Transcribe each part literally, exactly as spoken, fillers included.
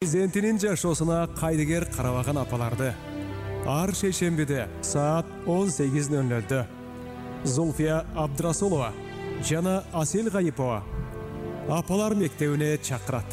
Президентинин жашоосуна кайдыгер карабаган апаларды ар шейшембиде саат он сегиз ноль нольдө Зульфия Абдрасулова жана Асел Гайипова апалар мектебине чакырат.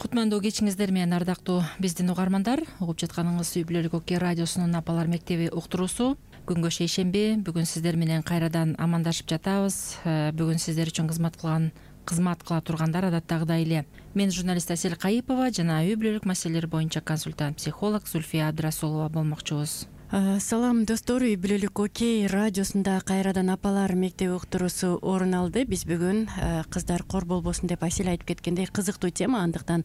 Кутмандуу кечиңиздер менен ардактуу биздин угармандар, угуп жатканыңыз Үй бүлөлүк Оке радиосунун апалар мектеби уктуруусу. Күнгө шейшемби, бүгүн сиздер менен кайрадан амандашып жатабыз. Бүгүн сиздер үчүн кызмат кылган кызмат кыла тургандар адаттагыдай эле мен журналист Асел Гайипова жана үй бүлөлүк маселелер боюнча консультант психолог Зульфия Абдрасулова болмокчубуз. Салам достор, Үй бүлөлүк Оке радиосунда кайрадан апалар мектеби уктуруусу орун алды. Биз бүгүн кыздар кор болбосун деп Асел айтып кеткендей кызыктуу тема, андыктан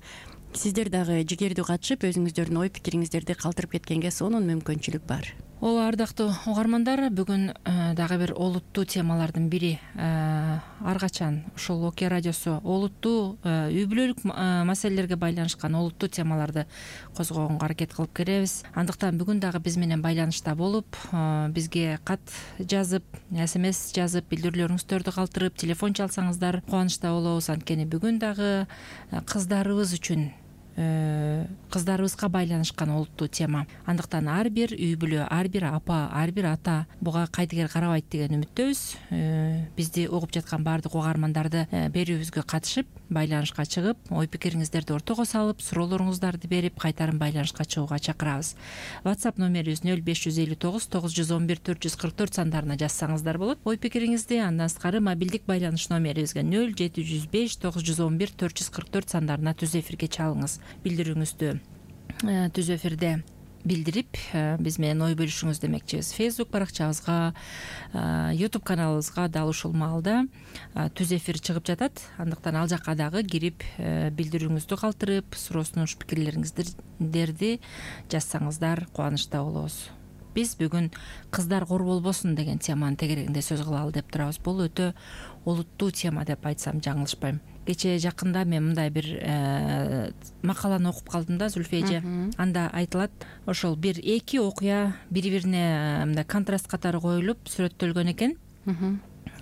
сиздер дагы жигердүү катышып өзүңүздөрдүн ой пикириңиздерди калтырып кеткенге сонун мүмкүнчүлүк бар. Ооба, ардактуу угармандар, бүгүн дагы бир олуттуу темалардын бири. Ар качан ушул Оке радиосу олуттуу үй бүлөлүк маселелерге байланышкан олуттуу темаларды козгогонго аракет кылып келебиз. Андыктан бүгүн дагы биз менен байланышта болуп, бизге кат жазып, смс жазып, билдирүүлөрүңүздөрдү калтырып, телефон чалсаңыздар кубанычта болобуз. Анткени бүгүн дагы кыздарыбыз үчүн кыздарыбызга байланышкан олуттуу тема. Андыктан ар бир үй бүлө, ар бир апа, ар бир ата буга кайдыгер карабайт деген үмүттөбүз. Бизди угуп жаткан баардык угармандарды берүүбүзгө катышып, байланышка чыгып, ой пикириңиздерди ортого салып, суроолоруңуздарды берип, кайтарым байланышка чыгууга чакырабыз. WhatsApp номерибиз нөл беш жүз элүү тогуз тогуз жүз он бир төрт жүз кырк төрт сандарына жазсаңыздар болот. Ой пикириңизди андан сырткары мобилдик байланыш номерибизге нөл жети жүз беш тогуз жүз он бир төрт жүз кырк төрт сандарына түз эфирге чалыңыз. Билдирүүңүздү түз эфирде билдирип, биз менен ой бөлүшүңүз демекчибиз. Facebook баракчабызга, YouTube каналыбызга дал ушул маалда түз эфир чыгып жатат. Андыктан ал жакка дагы кирип, билдирүүңүздү калтырып, суроо сунуш пикирлериңиздерди жазсаңыздар кубанычта болобуз. Биз бүгүн кыздар кор болбосун деген теманын тегерегинде сөз кылалы деп турабыз. Бул өтө олуттуу тема деп айтсам жаңылышпайм. Кечээ жакында мен мындай бир макаланы окуп калдым да, Зульфия эже. Анда айтылат, ошол бир эки окуя бири-бирине мындай контраст катары коюлуп сүрөттөлгөн экен.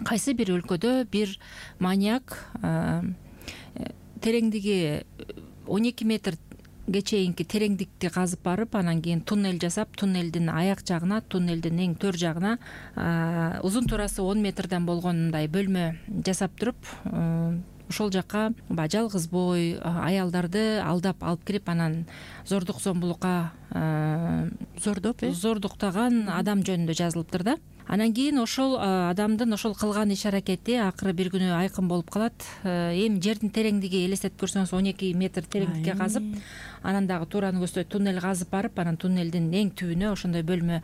Кайсы бир өлкөдө бир маньяк тереңдиги он эки метр чейинки тереңдикти казып барып, анан кийин туннель жасап, туннелдин аяк жагына, туннелдин эң төр жагына узун турасы он метрден болгон мындай бөлмө жасап туруп, ошол жакка баягы жалгыз бой аялдарды алдап алып кирип, анан зордук зомбулукка зордоп э зордуктаган адам жөнүндө жазылыптыр да. Анан кийин ошол адамдын ошол кылган иш аракети акыры бир күнү айкын болуп калат. Эми жердин тереңдиги элестетип көрсөңүз он эки метр тереңдикке казып, анан дагы туураны көздөй туннель казып барып, анан туннелдин эң түбүнө ошондой бөлмө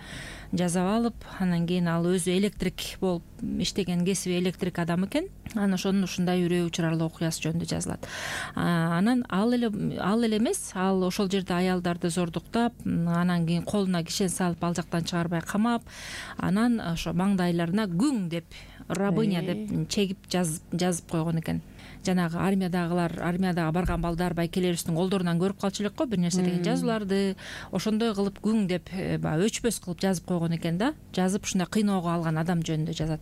жасап алып, анан кийин ал өзү электрик болуп иштеген кесиби электрик адам экен. Анан ошонун ушундай үрөө учурарлуу окуясы жөнүндө жазылат. Анан ал эле ал эле эмес, ал ошол жерде аялдарды зордуктап, анан кийин колуна кишен салып, ал жактан чыгарбай камап, анан ошо маңдайларына күң деп, рабыня деп чегип жазып койгон экен. Жанагы армиядагылар, армияга барган балдар байкелерибиздин колдорунан көрүп калчу элек го бир нерсе деген жазууларды, ошондой кылып күң деп баягы өчпөс кылып жазып койгон экен да. Жазып ушундай кыйноого алган адам жөнүндө жазат.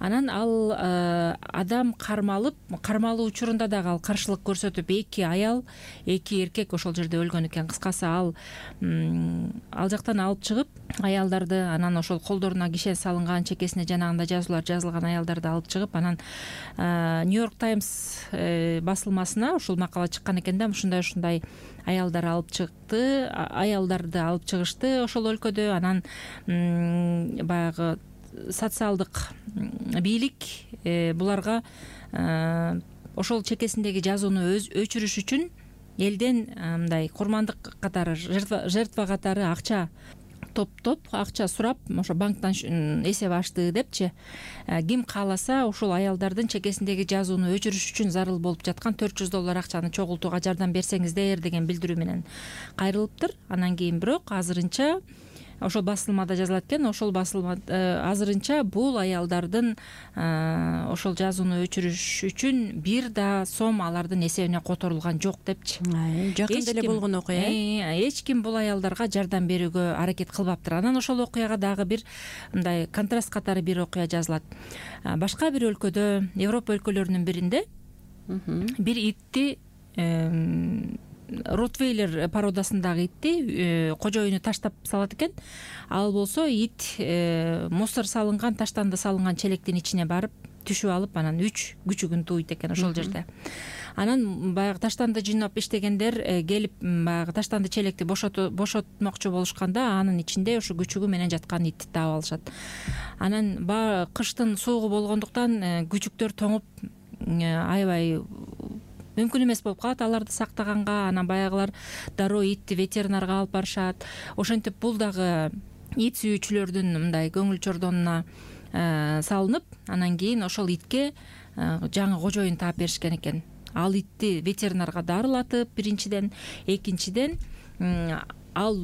Анан ал адам кармалып, кармалуу учурунда дагы ал каршылык көрсөтүп, эки аял, эки эркек ошол жерде өлгөн экен. Кыскасы ал ал жактан алып чыгып, аялдарды, анан ошол колдоруна кишен салынган, чекесине жанагында жазуулар жазылган аялдарды алып чыгып, анан Нью-Йорк Таймс басылмасына ушул макала чыккан экен да. Ушундай ушундай аялдар алып чыкты, аялдарды алып чыгышты ошол өлкөдө. Анан баягы социалдык бийлик буларга ошол чекесиндеги жазууну өчүрүш үчүн элден мындай курмандык катары, жертва катары акча топтоп, акча сурап, ошо банктан эсеп ачты депчи. Ким кааласа ушул аялдардын чекесиндеги жазууну өчүрүш үчүн зарыл болуп жаткан төрт жүз доллар акчаны чогултууга жардам берсеңиздер деген билдирүү менен кайрылыптыр. Анан кийин бирок азырынча ошол басылмада жазылат экен. Ошол басылма азырынча бул аялдардын ошол жазууну өчүрүш үчүн бир да сом алардын эсебине которулган жок депчи. Жакын деле болгон окуя. Эч ким бул аялдарга жардам берүүгө аракет кылбаптыр. Анан ошол окуяга дагы бир мындай контраст катары бир окуя жазылат. Башка бир өлкөдө, Европа өлкөлөрүнүн биринде бир итти, Ротвейлер породасындагы итти кожоюну таштап салат экен. Ал болсо ит мусор салынган, таштанды салынган челектин ичине барып түшүп алып, анан үч күчүгүн тууйт экен ошол жерде. Анан баягы таштанды жыйнап иштегендер келип баягы таштанды челекти бошотмокчу болушканда, анын ичинде ошо күчүгү менен жаткан итти таап алышат. Анан баягы кыштын суугу болгондуктан күчүктөр тоңуп аябай мүмкүн эмес болуп калат аларды сактаганга. Анан баягылар дароо итти ветеринарга алып барышат. Ошентип бул дагы ит сүйүүчүлөрдүн мындай көңүл чордонуна салынып, анан кийин ошол итке жаңы кожоюн таап беришкен экен. Ал итти ветеринарга дарылатып, биринчиден, экинчиден ал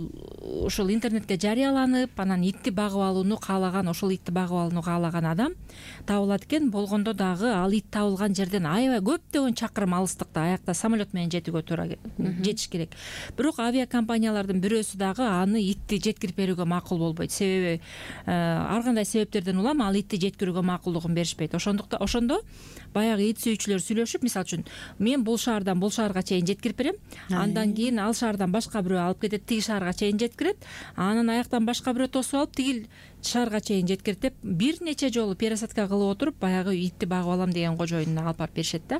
ошол интернетке жарыяланып, анан итти багып алууну каалаган, ошол итти багып алууну каалаган адам табылат экен. Болгондо дагы ал ит табылган жерден аябай көптөгөн чакырым алыстыкта, аякта самолет менен жетүүгө туура жетиш керек. Бирок авиакомпаниялардын бирөөсү дагы аны итти жеткирип берүүгө макул болбойт. Себеби ар кандай себептерден улам ал итти жеткирүүгө макулдугун беришпейт. Ошондуктан ошондо баягы ит сүйүүчүлөр сүйлөшүп, мисалы үчүн мен бул шаардан бул шаарга чейин жеткирип берем, андан кийин ал шаардан башка бирөө алып кетет, тиги шаарга чейин жеткирет, анан аяктан башка бирөө тосуп алып тигил шаарга чейин жеткирет деп бир нече жолу пересадка кылып отуруп баягы итти багып алам деген кожоюнуна алып барып беришет да.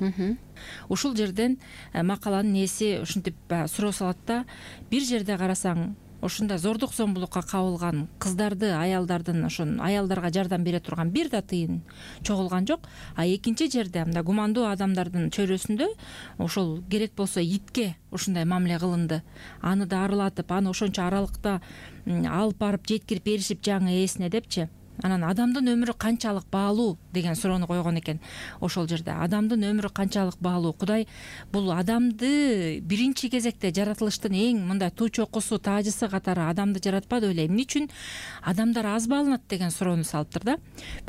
Ушул жерден макаланын ээси ушинтип суроо салат да, бир жерде карасаң ушундай зордук зомбулукка кабылган кыздарды, аялдардын, ошон аялдарга жардам бере турган бир да тыйын чогулган жок. А экинчи жерде мындай гумандуу адамдардын чөйрөсүндө ошол керек болсо итке ушундай мамиле кылынды. Аны да арылатып, аны ошончо аралыкта алып барып жеткирип беришип жаңы ээсине депчи. Анан адамдын өмүрү канчалык баалуу деген суроону койгон экен ошол жерде. Адамдын өмүрү канчалык баалуу? Кудай бул адамды биринчи кезекте жаратылыштын эң мындай туу чокусу, таажысы катары адамды жаратпады беле? Эмне үчүн адамдар аз бааланат деген суроону салыптыр да.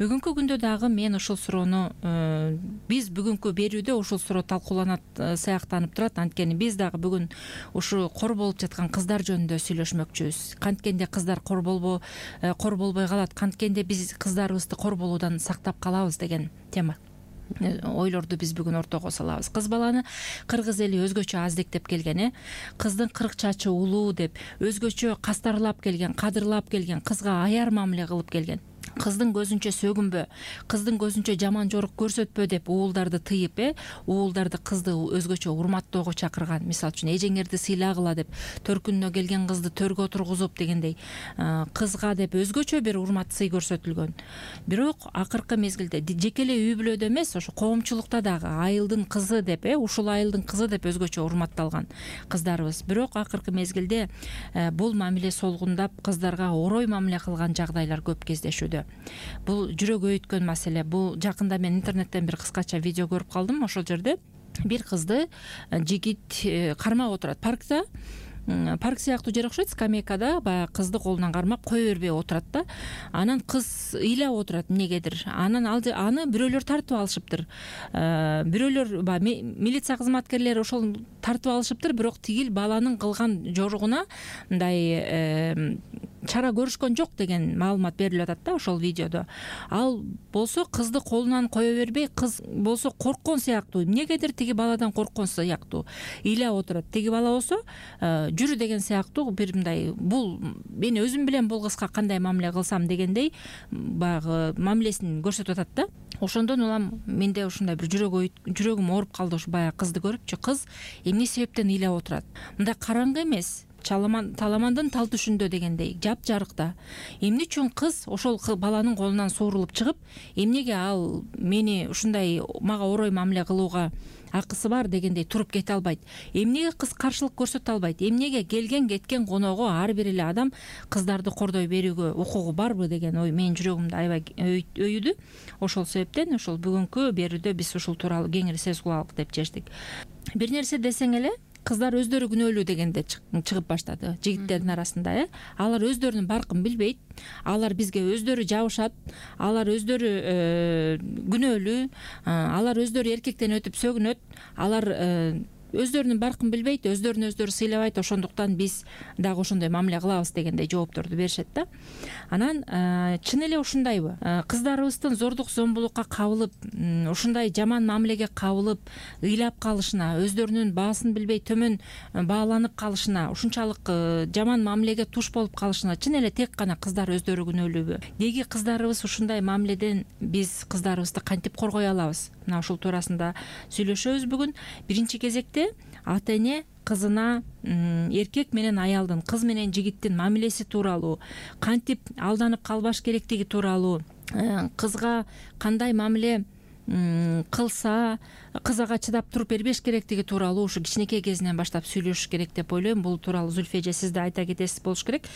Бүгүнкү күндө дагы мен ушул суроону биз бүгүнкү берүүдө ушул суроо талкууланат сыяктанып турат. Анткени биз дагы бүгүн ушу кор болуп жаткан кыздар жөнүндө сүйлөшмөкчүбүз. Канткенде кыздар кор болбо кор болбой калат, канткенде биз кыздарыбызды кор болуудан сактап калабыз деген тема ойлорду биз бүгүн ортого салабыз. Кыз баланы кыргыз эли өзгөчө аздектеп келген, э кыздын кырк чачы улуу деп өзгөчө кастарлап келген, кадырлап келген, кызга аяр мамиле кылып келген. Кыздын көзүнчө сөгүнбө, кыздын көзүнчө жаман жорук көрсөтпө деп уулдарды тыйып, э уулдарды кызды өзгөчө урматтоого чакырган. Мисалы үчүн эжеңерди сыйлагыла деп, төркүнүнө келген кызды төргө тургузуп дегендей кызга деп өзгөчө бир урмат сый көрсөтүлгөн. Бирок акыркы мезгилде жеке эле үй бүлөдө эмес, ошо коомчулукта дагы айылдын кызы деп, э ушул айылдын кызы деп өзгөчө урматталган кыздарыбыз. Бирок акыркы мезгилде бул мамиле солгундап, кыздарга орой мамиле кылган жагдайлар көп кездешүүдө. Бул жүрөк өйткөн маселе. Бул жакында мен интернеттен бир кыскача видео көрүп калдым. Ошол жерде бир кызды жигит кармап отурат паркта. Парк сыяктуу жер окшойт, скамейкада баягы кызды колунан кармап кое бербей отурат да. Анан кыз ыйлап отурат эмнегедир. Анан ал аны бирөөлөр тартып алышыптыр. Бирөөлөр баягы милиция кызматкерлери ошол тартып алышыптыр, бирок тигил баланын кылган жоругуна мындай чара көрүшкөн жок деген маалымат берилип атат да ошол видеодо. Ал болсо кызды колунан кое бербей, кыз болсо корккон сыяктуу, эмнегедир тиги баладан корккон сыяктуу ыйлап отурат. Тиги бала болсо жүрү деген сыяктуу бир мындай, бул мен өзүм билем бул кызга кандай мамиле кылсам дегендей баягы мамилесин көрсөтүп атат да. Ошондон улам менде ушундай бир жүрөк жүрөгүм ооруп калды ушу баягы кызды көрүпчү. Кыз эмне себептен ыйлап отурат? Мындай караңгы эмес, таламандын тал түшүндө дегендей жапжарыкта. Эмне үчүн кыз ошол баланын колунан суурулуп чыгып, эмнеге ал мени ушундай мага орой мамиле кылууга акысы бар дегендей туруп кете албайт? Эмнеге кыз каршылык көрсөтө албайт? Эмнеге келген кеткен коноого ар бир эле адам кыздарды кордой берүүгө укугу барбы деген ой менин жүрөгүмдү аябай өйүдү. Ошол себептен ошол бүгүнкү берүүдө биз ушул тууралуу кеңири сөз кылалык деп чечтик. Бир нерсе десең эле, кыздар өздөрү күнөөлүү дегенде чыгып баштады жигиттердин арасында. э Алар өздөрүнүн баркын билбейт, алар бизге өздөрү жабышат, алар өздөрү күнөөлүү, алар өздөрү эркектен өтүп сөгүнөт, алар өздөрүнүн баркын билбейт, өздөрүн өздөрү сыйлабайт, ошондуктан биз дагы ошондой мамиле кылабыз дегендей жоопторду беришет да. Анан чын эле ушундайбы? Кыздарыбыздын зордук зомбулукка кабылып, ушундай жаман мамилеге кабылып, ыйлап калышына, өздөрүнүн баасын билбей төмөн бааланып калышына, ушунчалык жаман мамилеге туш болуп калышына чын эле тек гана кыздар өздөрү күнөөлүүбү? Деги кыздарыбыз ушундай мамиледен биз кыздарыбызды кантип коргой алабыз? Мына ушул туурасында сүйлөшөбүз бүгүн. Биринчи кезекте ата эне кызына эркек менен аялдын, кыз менен жигиттин мамилеси тууралуу, кантип алданып калбаш керектиги тууралуу, кызга кандай мамиле кылса кыз ага чыдап туруп бербеш керектиги тууралуу ушу кичинекей кезинен баштап сүйлөшүш керек деп ойлойм. Бул тууралуу Зүлфия эже сиз да айта кетесиз болуш керек.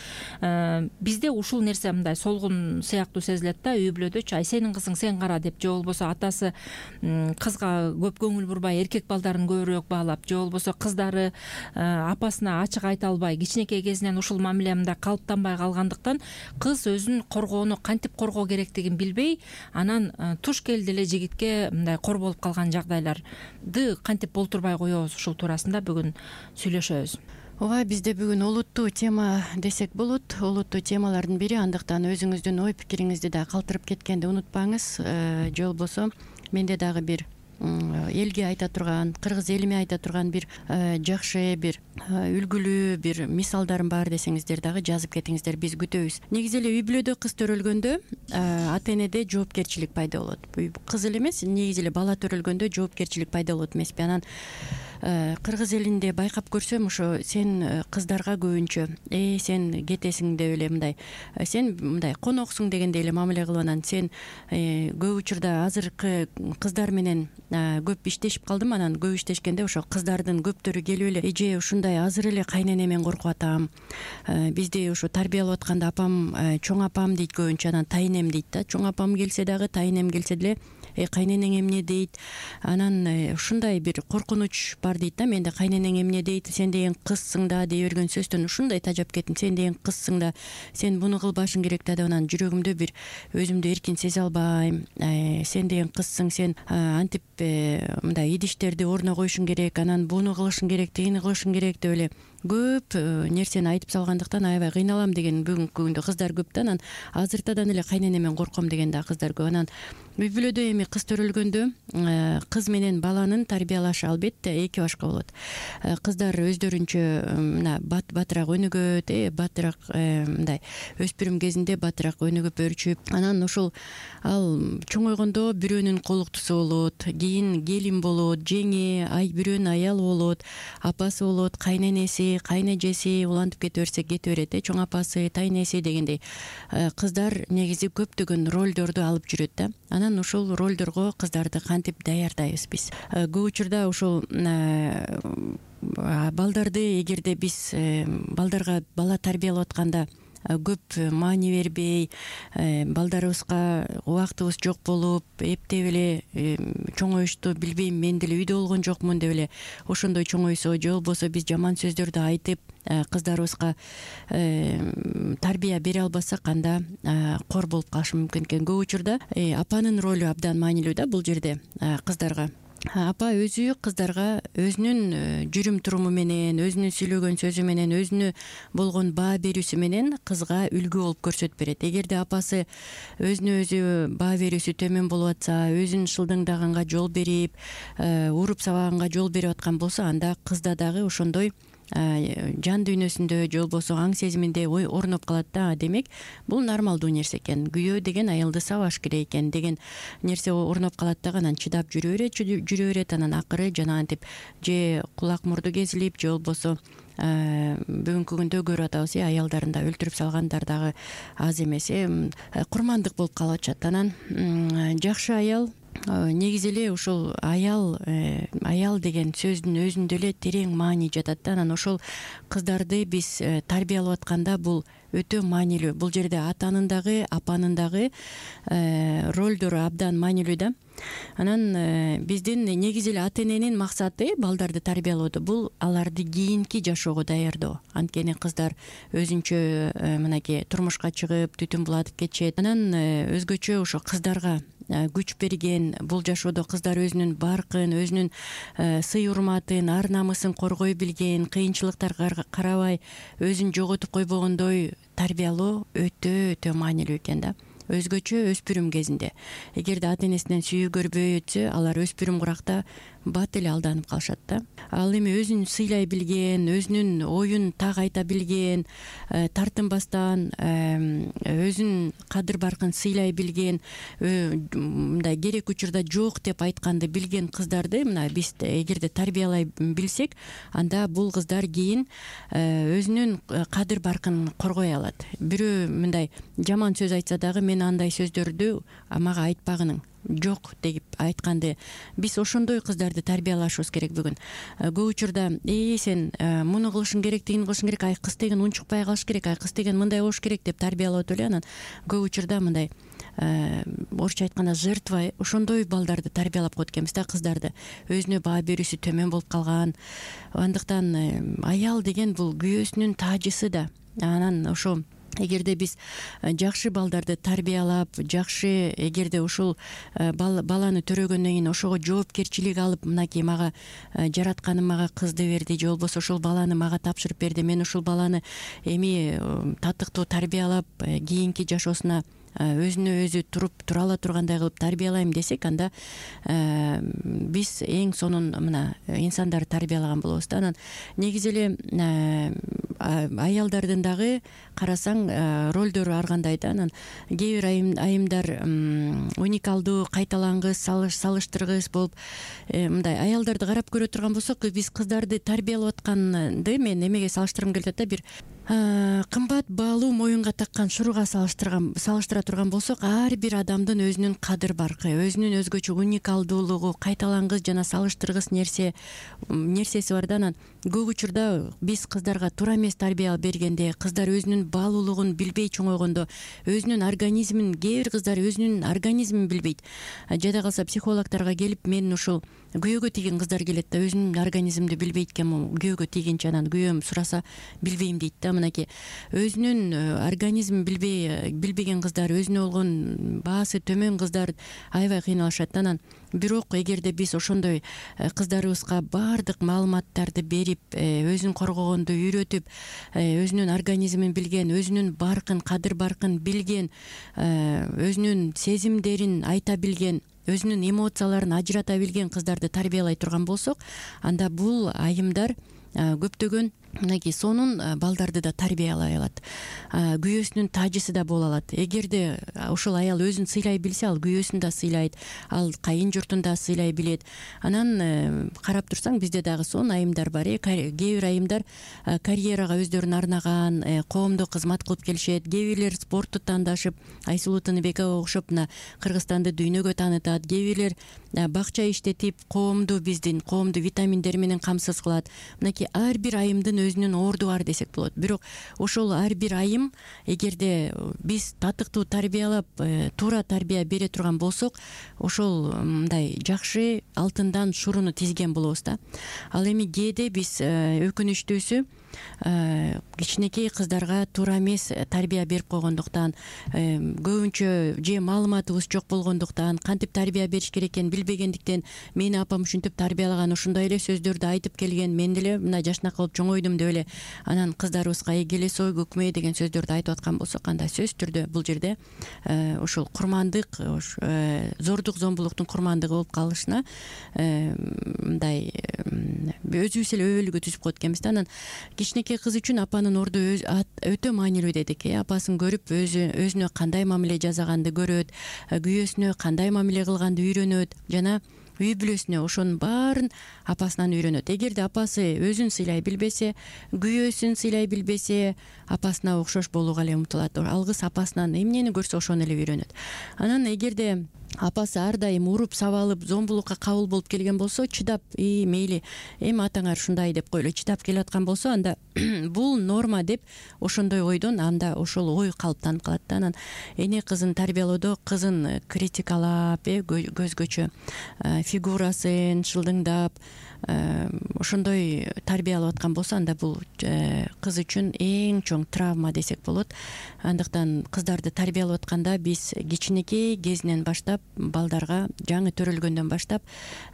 Бизде ушул нерсе мындай солгун сыяктуу сезилет да, үй бүлөдөчү. Ай сенин кызың сен кара деп, же болбосо атасы кызга көп көңүл бурбай эркек балдарын көбүрөөк баалап, же болбосо кыздары апасына ачык айта албай кичинекей кезинен ушул мамиле мындай калыптанбай калгандыктан кыз өзүн коргоону кантип коргоо керектигин билбей, анан туш келди эле жигитке мындай кор болуп калган жагдайлар кантип болтурбай коебуз, ушул туурасында бүгүн сүйлөшөбүз. Ооба, бизде бүгүн олуттуу тема десек болот. Олуттуу темалардын бири, андыктан өзүңүздүн ой пикириңизди да калтырып кеткенди унутпаңыз. Же болбосо менде дагы бир элге айта турган, кыргыз элиме айта турган бир жакшы, бир үлгүлүү бир мисалдарым бар десеңиздер дагы жазып кетиңиздер, биз күтөбүз. Негизи эле үй бүлөдө кыз төрөлгөндө ата энеде жоопкерчилик пайда болот. Кыз эле эмес, негизи эле бала төрөлгөндө жоопкерчилик пайда болот эмеспи? Анан кыргыз элинде байкап көрсөм, ошо сен кыздарга көбүнчө э сен кетесиң деп эле мындай, сен мындай коноксуң дегендей эле мамиле кылып, анан сен көп учурда азыркы кыздар менен көп иштешип калдым. Анан көп иштешкенде ошо кыздардын көптөрү келип эле эже ушундай азыр эле кайненемен коркуп атам, бизди ушу тарбиялап атканда апам, чоң апам дейт көбүнчө, анан тайнем дейт да. Чоң апам келсе дагы, тайнем келсе деле э кайненең эмне дейт, анан ушундай бир коркунуч бар дейт да. Менде кайненең эмне дейт, сен деген кызсың да дей берген сөздөн ушундай тажап кеттим. Сен деген кызсың да, сен буну кылбашың керек да деп, анан жүрөгүмдө бир өзүмдү эркин сезе албайм. Сен деген кызсың, сен антип мындай идиштерди ордуна коюшуң керек, анан буну кылышың керек, тигини кылышың керек деп эле көп нерсени айтып салгандыктан аябай кыйналам деген бүгүнкү күндө кыздар көп да. Анан азыртадан эле кайненемен корком деген да кыздар көп. Анан үй бүлөдө эми кыз төрөлгөндө кыз менен баланын тарбиялашы албетте эки башка болот. Кыздар өздөрүнчө мына батыраак өнүгөт, э батыраак мындай өспүрүм кезинде батыраак өнүгүп өрчүп, анан ушул ал чоңойгондо бирөөнүн колуктусу болот, кийин келин болот, жеңи, ай бирөөнүн аялы болот, апасы болот, кайненеси, кайнэжеси, улантып кете берсек кете берет, э чоң апасы, тайнеси дегендей кыздар негизи көптөгөн ролдорду алып жүрөт да. Анан ушул ролдорго кыздарды кантип даярдайбыз биз? Көп учурда ушул балдарды, эгерде биз балдарга бала тарбиялап атканда көп маани бербей, балдарыбызга убактыбыз жок болуп, эптеп эле чоңоюшту билбейм, мен деле үйдө болгон жокмун деп эле ошондой чоңойсо, же болбосо биз жаман сөздөрдү айтып кыздарыбызга тарбия бере албасак, анда кор болуп калышы мүмкүн экен. Көп учурда апанын ролу абдан маанилүү да бул жерде кыздарга. Апа өзү кыздарга өзүнүн жүрүм туруму менен, өзүнүн сүйлөгөн сөзү менен, өзүнө болгон баа берүүсү менен кызга үлгү болуп көрсөтүп берет. Эгерде апасы өзүнө өзү баа берүүсү төмөн болуп атса, өзүн шылдыңдаганга жол берип, уруп сабаганга жол берип аткан болсо, анда кызда дагы ошондой жан дүйнөсүндө, же болбосо аң сезиминде ой орноп калат да. Демек, бул нормалдуу нерсе экен. Күйөө деген аялды сабаш керек экен деген нерсе орноп калат да. Анан чыдап жүрө берет, жүрө берет. Анан акыры жанагынтип же кулак мурду кезилип, же болбосо бүгүнкү күндө көрүп атабыз, э аялдарын да өлтүрүп салгандар дагы аз эмес, э курмандык болуп калып атышат. Анан жакшы аял, негизи эле ушул аял аял деген сөздүн өзүндө эле терең маани жатат да. Анан ошол кыздарды биз тарбиялап атканда бул өтө маанилүү. Бул жерде атанын дагы, апанын дагы ролдору абдан маанилүү да. Анан биздин негизи эле ата эненин максаты балдарды тарбиялоодо бул аларды кийинки жашоого даярдоо. Анткени кыздар өзүнчө мынакей турмушка чыгып түтүн булатып кетишет. Анан өзгөчө ошо кыздарга күч берген, бул жашоодо кыздар өзүнүн баркын, өзүнүн сый урматын, ар намысын коргой билген, кыйынчылыктарга карабай өзүн жоготуп койбогондой тарбиялоо өтө өтө маанилүү экен да. Өзгөчө өспүрүм кезинде эгерде ата энесинен сүйүү көрбөй өтсө, алар өспүрүм куракта бат эле алданып калышат да. Ал эми өзүн сыйлай билген, өзүнүн оюн так айта билген, тартынбастан өзүн кадыр баркын сыйлай билген, мындай керек учурда жок деп айтканды билген кыздарды мына биз эгерде тарбиялай билсек, анда бул кыздар кийин өзүнүн кадыр баркын коргой алат. Бирөө мындай жаман сөз айтса дагы мен андай сөздөрдү мага айтпагының жок деп айтканды биз ошондой кыздарды тарбиялашыбыз керек бүгүн. Көп учурда э сен муну кылышың керек, тигини кылышың керек, ай кыз деген унчукпай калыш керек, ай кыз деген мындай болуш керек деп тарбиялап эле анан көп учурда мындай орусча айтканда жертва ошондой балдарды тарбиялап коет экенбиз да, кыздарды. Өзүнө баа берүүсү төмөн болуп калган. Андыктан аял деген бул күйөөсүнүн таажысы да. Анан ошо эгерде биз жакшы балдарды тарбиялап, жакшы эгерде ушул баланы төрөгөндөн кийин ошого жоопкерчилик алып, мынакей мага жаратканым мага кызды берди же болбосо ушул баланы мага тапшырып берди, мен ушул баланы эми татыктуу тарбиялап кийинки жашоосуна өзүнө өзү туруп тура ала тургандай кылып тарбиялайм десек, анда биз эң сонун мына инсандарды тарбиялаган болобуз да. Анан негизи эле аялдардын дагы карасаң ролдору ар кандай да. Анан кээ бир айымдар уникалдуу, кайталангыс, салыштыргыс болуп мындай аялдарды карап көрө турган болсок, биз кыздарды тарбиялап атканды мен эмеге салыштыргым келип атат да. Бир кымбат баалуу моюнга таккан шуруга салыштырган салыштыра турган болсок, ар бир адамдын өзүнүн кадыр баркы, өзүнүн өзгөчө уникалдуулугу, кайталангыс жана салыштыргыс нерсе нерсеси бар да. Анан көп учурда биз кыздарга туура эмес тарбия бергенде, кыздар өзүнүн баалуулугун билбей чоңойгондо, өзүнүн организмин, кээ бир кыздар өзүнүн организмин билбейт. Жада калса психологторго келип, мен ушул күйөөгө тийген кыздар келет да, өзүнүн организмди билбейт экен, күйөөгө тийгенче анан күйөөм сураса билбейм дейт да. Мынакей өзүнүн организмин билбей билбеген кыздар, өзүнө болгон баасы төмөн кыздар аябай кыйналышат. Анан бирок эгерде биз ошондой кыздарыбызга баардык маалыматтарды берип, өзүн коргогонду үйрөтүп, өзүнүн организмин билген, өзүнүн баркын, кадыр баркын билген, өзүнүн сезимдерин айта билген, өзүнүн эмоцияларын ажырата билген кыздарды тарбиялай турган болсок, анда бул айымдар көптөгөн мынакей сонун балдарды да тарбиялай алат, күйөөсүнүн таажысы да боло алат. Эгерде ошол аял өзүн сыйлай билсе, ал күйөөсүн да сыйлайт, ал кайын журтун да сыйлай билет. Анан карап турсаң, бизде дагы сонун айымдар бар. Кээ бир айымдар карьерага өздөрүн арнаган, коомдо кызмат кылып келишет. Кээ бирлер спортту тандашып, Айсулуу Тыныбекова окшоп мына Кыргызстанды дүйнөгө таанытат. Кээ бирлер бакча иштетип, коомду биздин коомду витаминдер менен камсыз кылат. Мынакей ар бир айымдын өзүнүн орду бар десек болот. Бирок ошол ар бир айым эгерде биз татыктуу тарбиялап, туура тарбия бере турган болсок, ошол мындай жакшы алтындан шуруну тизген болобуз да. Ал эми кээде биз өкүнүчтүүсү кичинекей кыздарга туура эмес тарбия берип койгондуктан, көбүнчө же маалыматыбыз жок болгондуктан, кантип тарбия бериш керек экенин билбегендиктен, мени апам ушинтип тарбиялаган, ушундай эле сөздөрдү айтып келген, мен деле мына жашнак болуп чоңойдум деп эле анан кыздарыбызга келесой көкмө деген сөздөрдү айтып аткан болсок, анда сөзсүз түрдө бул жерде ушул курмандык, зордук зомбулуктун курмандыгы болуп калышына мындай өзүбүз эле өбөлгө түзүп коет экенбиз да. Анан кичинекей кыз үчүн апанын орду өтө маанилүү дедик. Апасын көрүп, өзү өзүнө кандай мамиле жасаганды көрөт, күйөөсүнө кандай мамиле кылганды үйрөнөт, жана үй бүлөсүнө ошонун баарын апасынан үйрөнөт. Эгерде апасы өзүн сыйлай билбесе, күйөөсүн сыйлай билбесе, апасына окшош болууга эле умтулат. Алгыс апасынан эмнени көрсө ошону эле үйрөнөт. Анан эгерде апасы ар дайым уруп сабалып зомбулукка кабыл болуп келген болсо, чыдап и мейли эми атаңар ушундай деп койлу чыдап келаткан болсо, анда бул норма деп ошондой ойдон анда ошол ой калыптанып калат да. Анан эне кызын тарбиялоодо кызын критикалап, э көзгөчө фигурасын шылдыңдап ошондой тарбиялап аткан болсо, анда бул кыз үчүн эң чоң травма десек болот. Андыктан кыздарды тарбиялап атканда биз кичинекей кезинен баштап, балдарга жаңы төрөлгөндөн баштап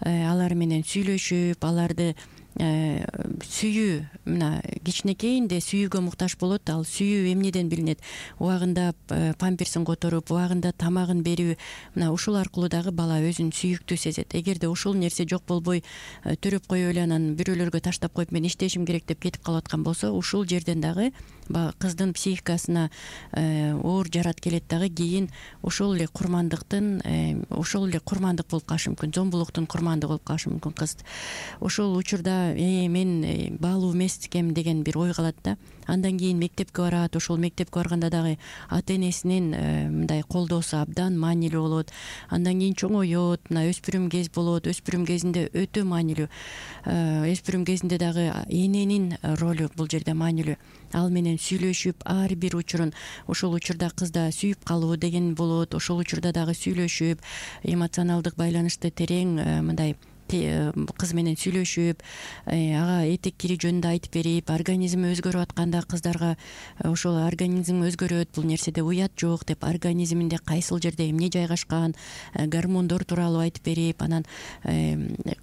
алар менен сүйлөшүп, аларды сүйүү, мына кичинекейинде сүйүүгө муктаж болот. Ал сүйүү эмнеден билинет? Убагында памперсин которуп, убагында тамагын берүү. Мына ушул аркылуу дагы бала өзүн сүйүктүү сезет. Эгерде ушул нерсе жок болбой төрөп коюп эле анан бирөөлөргө таштап коюп мен иштешим керек деп кетип калып аткан болсо, ушул жерден дагы кыздын психикасына оор жарат келет дагы. Кийин ошол эле курмандыктын, ошол эле курмандык болуп калышы мүмкүн, зомбулуктун курмандыгы болуп калышы мүмкүн кыз. Ошол учурда э мен баалуу эмес экем деген бир ой калат да. Андан кийин мектепке барат. Ошол мектепке барганда дагы ата энесинин мындай колдоосу абдан маанилүү болот. Андан кийин чоңоет, мына өспүрүм кез болот. Өспүрүм кезинде өтө маанилүү. Өспүрүм кезинде дагы эненин ролу бул жерде маанилүү. Ал менен сүйлөшүп, ар бир учурун, ошол учурда кызда сүйүп калуу деген болот. Ошол учурда дагы сүйлөшүп, эмоционалдык байланышты терең мындай кыз менен сүйлөшүп, ага этек кири жөнүндө айтып берип, организми өзгөрүп атканда кыздарга ошол организм өзгөрөт, бул нерседе уят жок деп, организминде кайсыл жерде эмне жайгашкан, гормондор тууралуу айтып берип, анан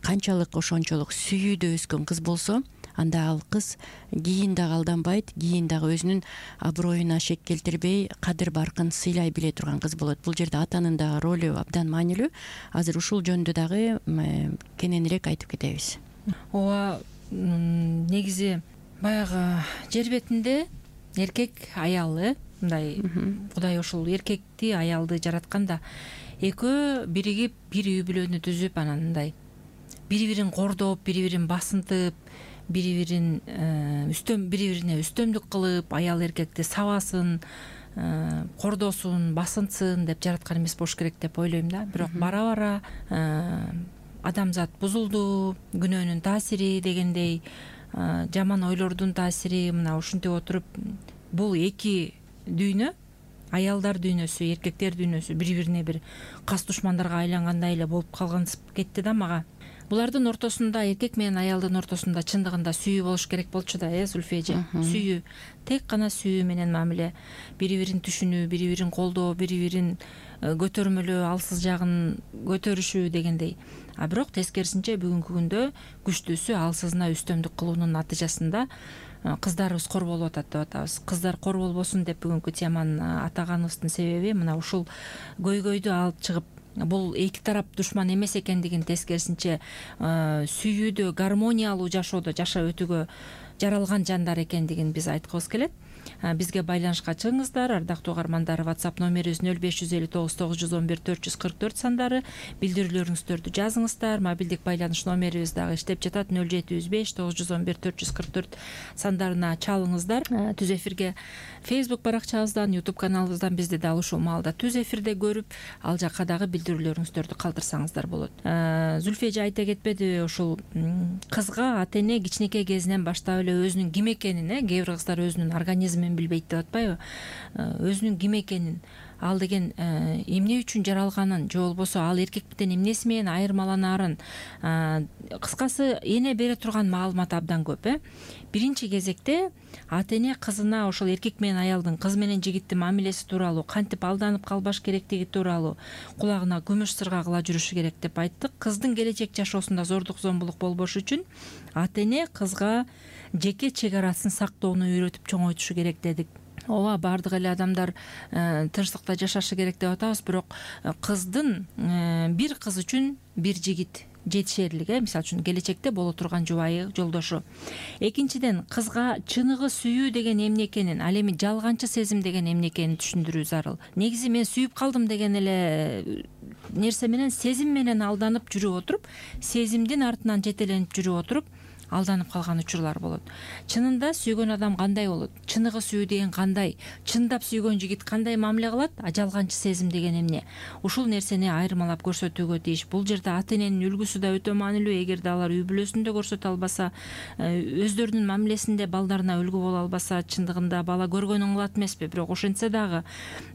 канчалык ошончолук сүйүүдө өскөн кыз болсо, анда ал кыз кийин дагы алданбайт, кийин дагы өзүнүн аброюна шек келтирбей, кадыр баркын сыйлай биле турган кыз болот. Бул жерде атанын дагы ролу абдан маанилүү. Азыр ушул жөнүндө дагы кененирээк айтып кетебиз. Ооба, негизи баягы жер бетинде эркек аялы, мындай Кудай ошол эркекти аялды жаратканда экөө биригип бир үй бүлөнү түзүп, анан мындай бири-бирин кордоп, бири-бирин басынтып, бири-бирин үстөм бири-бирине үстөмдүк кылып, аял эркекти сабасын, кордосун, басынтсын деп жараткан эмес болуш керек деп ойлойм да. Бирок бара-бара адамзат бузулду, күнөөнүн таасири дегендей, жаман ойлордун таасири, мына ушинтип отуруп бул эки дүйнө, аялдар дүйнөсү, эркектер дүйнөсү бири-бирине бир кас душмандарга айлангандай эле болуп калгансып кетти да мага. Булардын ортосунда, эркек менен аялдын ортосунда чындыгында сүйүү болуш керек болчу да, э Зульфия эже. Сүйүү, тек гана сүйүү менен мамиле, бири-бирин түшүнүү, бири-бирин колдоо, бири-бирин көтөрмөлөө, алсыз жагын көтөрүшүү дегендей. А бирок тескерисинче бүгүнкү күндө күчтүүсү алсызына үстөмдүк кылуунун натыйжасында кыздарыбыз кор болуп атат деп атабыз. Кыздар кор болбосун деп бүгүнкү теманы атаганыбыздын себеби мына ушул көйгөйдү алып чыгып, бул эки тарап душман эмес экендигин, тескерисинче сүйүүдө, гармониялуу жашоодо жашап өтүүгө жаралган жандар экендигин биз айткыбыз келет. Бизге байланышка чыгыңыздар, ардактуу угармандар. WhatsApp номерибиз нөл беш жүз элүү тогуз тогуз жүз он бир төрт жүз кырк төрт сандары. Билдирүүлөрүңүздөрдү жазыңыздар. Мобилдик байланыш номерибиз дагы иштеп жатат. нөл жети жүз беш тогуз жүз он бир төрт жүз кырк төрт сандарына чалыңыздар. Түз эфирге Facebook баракчабыздан, YouTube каналыбыздан бизди дал ушул маалда түз эфирде көрүп, ал жакка дагы билдирүүлөрүңүздөрдү калтырсаңыздар болот. Зульфия эже айта кетпедиби, ушул кызга ата эне кичинекей кезинен баштап эле өзүнүн ким экенин, э кээ бир кыздар өзүнүн организмин билбейт деп атпайбы, өзүнүн ким экенин, ал деген эмне үчүн жаралганын, же болбосо ал эркектен эмнеси менен айырмаланаарын, кыскасы эне бере турган маалымат абдан көп. э Биринчи кезекте ата эне кызына ошол эркек менен аялдын, кыз менен жигиттин мамилеси тууралуу, кантип алданып калбаш керектиги тууралуу кулагына күмүш сырга кыла жүрүшү керек деп айттык. Кыздын келечек жашоосунда зордук зомбулук болбош үчүн ата эне кызга жеке чек арасын сактоону үйрөтүп чоңойтушу керек дедик. Ооба, баардык эле адамдар тынчтыкта жашашы керек деп атабыз, бирок кыздын бир кыз үчүн бир жигит жетишерлик, э мисалы үчүн келечекте боло турган жубайы, жолдошу. Экинчиден, кызга чыныгы сүйүү деген эмне экенин, ал эми жалганчы сезим деген эмне экенин түшүндүрүү зарыл. Негизи мен сүйүп калдым деген эле нерсе менен, сезим менен алданып жүрүп отуруп, сезимдин артынан жетеленип жүрүп отуруп, алданып калган учурлар болот. Чынында сүйгөн адам кандай болот? Чыныгы сүйүү деген кандай? Чындап сүйгөн жигит кандай мамиле кылат? А жалганчы сезим деген эмне? Ушул нерсени айырмалап көрсөтүүгө тийиш. Бул жерде ата эненин үлгүсү да өтө маанилүү. Эгерде алар үй бүлөсүндө көрсөтө албаса, өздөрүнүн мамилесинде балдарына үлгү боло албаса, чындыгында бала көргөнүн кылат эмеспи? Бирок ошентсе дагы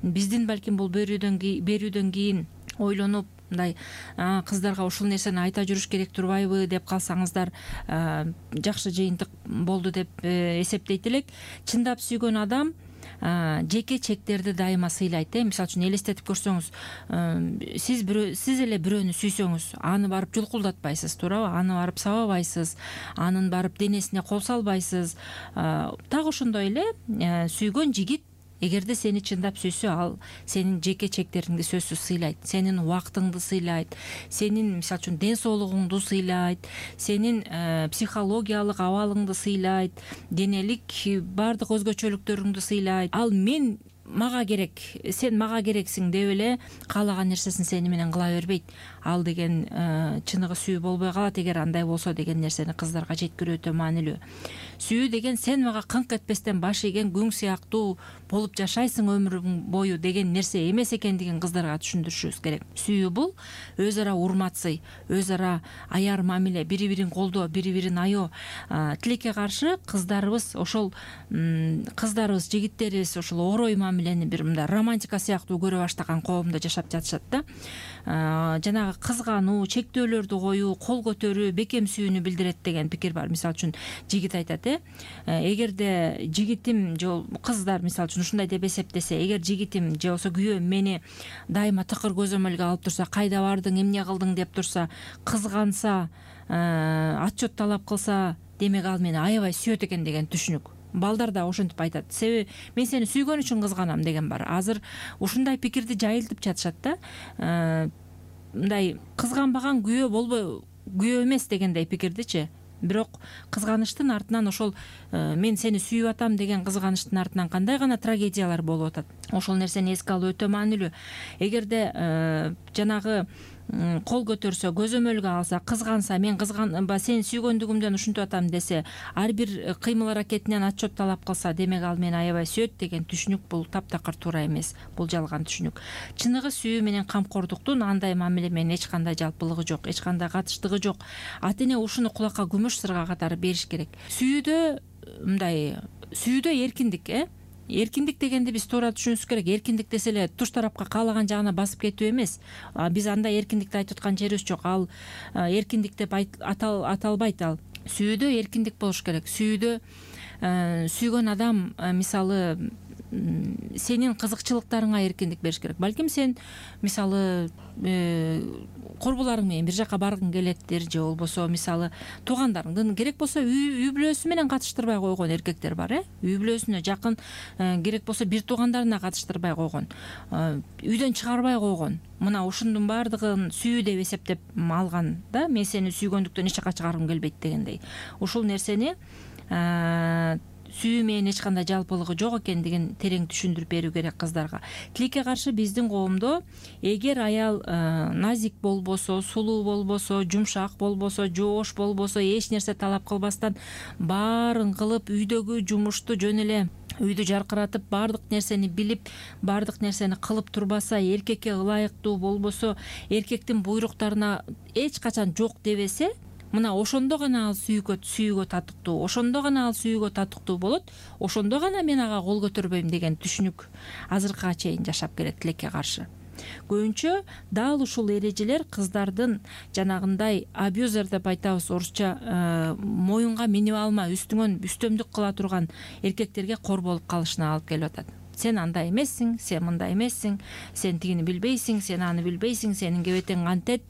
биздин балким бул берүүдөн берүүдөн кийин ойлонуп мындай кыздарга ушул нерсени айта жүрүш керек турбайбы деп калсаңыздар жакшы жыйынтык болду деп эсептейт элек. Чындап сүйгөн адам жеке чектерди дайыма сыйлайт. Мисалы үчүн элестетип көрсөңүз, сиз бирөө сиз эле бирөөнү сүйсөңүз, аны барып жулкулдатпайсыз, туурабы? Аны барып сабабайсыз, анын барып денесине кол салбайсыз. Так ошондой эле сүйгөн жигит эгерде сени чындап сүйсө, ал сенин жеке чектериңди сөзсүз сыйлайт, сенин убактыңды сыйлайт, сенин мисалы үчүн ден соолугуңду сыйлайт, сенин психологиялык абалыңды сыйлайт, денелик баардык өзгөчөлүктөрүңдү сыйлайт. Ал мен мага керек, сен мага керексиң деп эле каалаган нерсесин сени менен кыла бербейт. Ал деген чыныгы сүйүү болбой калат эгер андай болсо деген нерсени кыздарга жеткирүү өтө маанилүү. Сүйүү деген сен мага кыңк этпестен баш ийген күң сыяктуу болуп жашайсың өмүрүң бою деген нерсе эмес экендигин кыздарга түшүндүрүшүбүз керек. Сүйүү бул өз ара урмат сый, өз ара аяр мамиле, бири бирин колдоо, бири бирин аё. Тилекке каршы кыздарыбыз ошол кыздарыбыз, жигиттерибиз ошол орой мамилени бир мындай романтика сыяктуу көрө баштаган коомдо жашап жатышат да. Жанагы кызгануу, чектөөлөрдү коюу, кол көтөрүү бекем сүйүүнү билдирет деген пикир бар. Мисалы үчүн жигит айтат, эгерде жигитим же кыздар мисалы үчүн ушундай деп эсептесе, эгер жигитим же болбосо күйөөм мени дайыма тыкыр көзөмөлгө алып турса, кайда бардың, эмне кылдың деп турса, кызганса, отчет талап кылса, демек ал мени аябай сүйөт экен деген түшүнүк. Балдар да ошентип айтат. Себеби мен сени сүйгөн үчүн кызганам деген бар. Азыр ушундай пикирди жайылтып жатышат да. Мындай кызганбаган күйөө болбой, күйөө эмес дегендей пикирдичи. Бирок кызганычтын артынан ошол мен сени сүйүп атам деген кызганычтын артынан кандай гана трагедиялар болуп атат. Ошол нерсени эске алуу өтө маанилүү. Эгерде жанагы кол көтөрсө, көзөмөлгө алса, кызганса, мен кызганба сени сүйгөндүгүмдөн ушинтип атам десе, ар бир кыймыл аракетинен отчет талап кылса, демек ал мени аябай сөйт деген түшүнүк бул таптакыр туура эмес. Бул жалган түшүнүк. Чыныгы сүйүү менен камкордуктун андай мамиле менен эч кандай жалпылыгы жок, эч кандай катыштыгы жок. Ата эне ушуну кулакка күмүш сырга катары бериш керек. Сүйүүдө мындай сүйүүдө эркиндик, э эркиндик дегенди биз туура түшүнүшүбүз керек. Эркиндик десе эле туш тарапка каалаган жагына басып кетүү эмес. Биз андай эркиндикти айтып аткан жерибиз жок. Ал эркиндик деп аталбайт. Ал сүйүүдө эркиндик болуш керек. Сүйүүдө сүйгөн адам мисалы сенин кызыкчылыктарыңа эркиндик бериш керек. Балким сен мисалы корбуларың менен бир жака баргың келеттир, же болбосо мисалы туугандарыңдын керек болсо үй бүлөсү менен катыштырбай койгон эркектер бар, э үй бүлөсүнө жакын, керек болсо бир туугандарына катыштырбай койгон, үйдөн чыгарбай койгон. Мына ушундун баардыгын сүйүү деп эсептеп алган да. Мен сени сүйгөндүктөн эч жака чыгаргым келбейт дегендей. Ушул нерсени сүйүү менен эч кандай жалпылыгы жок экендигин терең түшүндүрүп берүү керек кыздарга. Тилекке каршы биздин коомдо эгер аял назик болбосо, сулуу болбосо, жумшак болбосо, жоош болбосо, эч нерсе талап кылбастан баарын кылып, үйдөгү жумушту жөн эле үйдү жаркыратып, баардык нерсени билип, баардык нерсени кылып турбаса, эркекке ылайыктуу болбосо, эркектин буйруктарына эч качан жок дебесе, мына ошондо гана ал сүйүүгө сүйүүгө татыктуу, ошондо гана ал сүйүүгө татыктуу болот, ошондо гана мен ага кол көтөрбөйм деген түшүнүк азыркыга чейин жашап келет тилекке каршы. Көбүнчө дал ушул эрежелер кыздардын жанагындай абьюзер деп айтабыз орусча, моюнга минип алма, үстүңөн үстөмдүк кыла турган эркектерге кор болуп калышына алып келип атат. Сен андай эмессиң, сен мындай эмессиң, сен тигини билбейсиң, сен аны билбейсиң, сенин кебетең кантет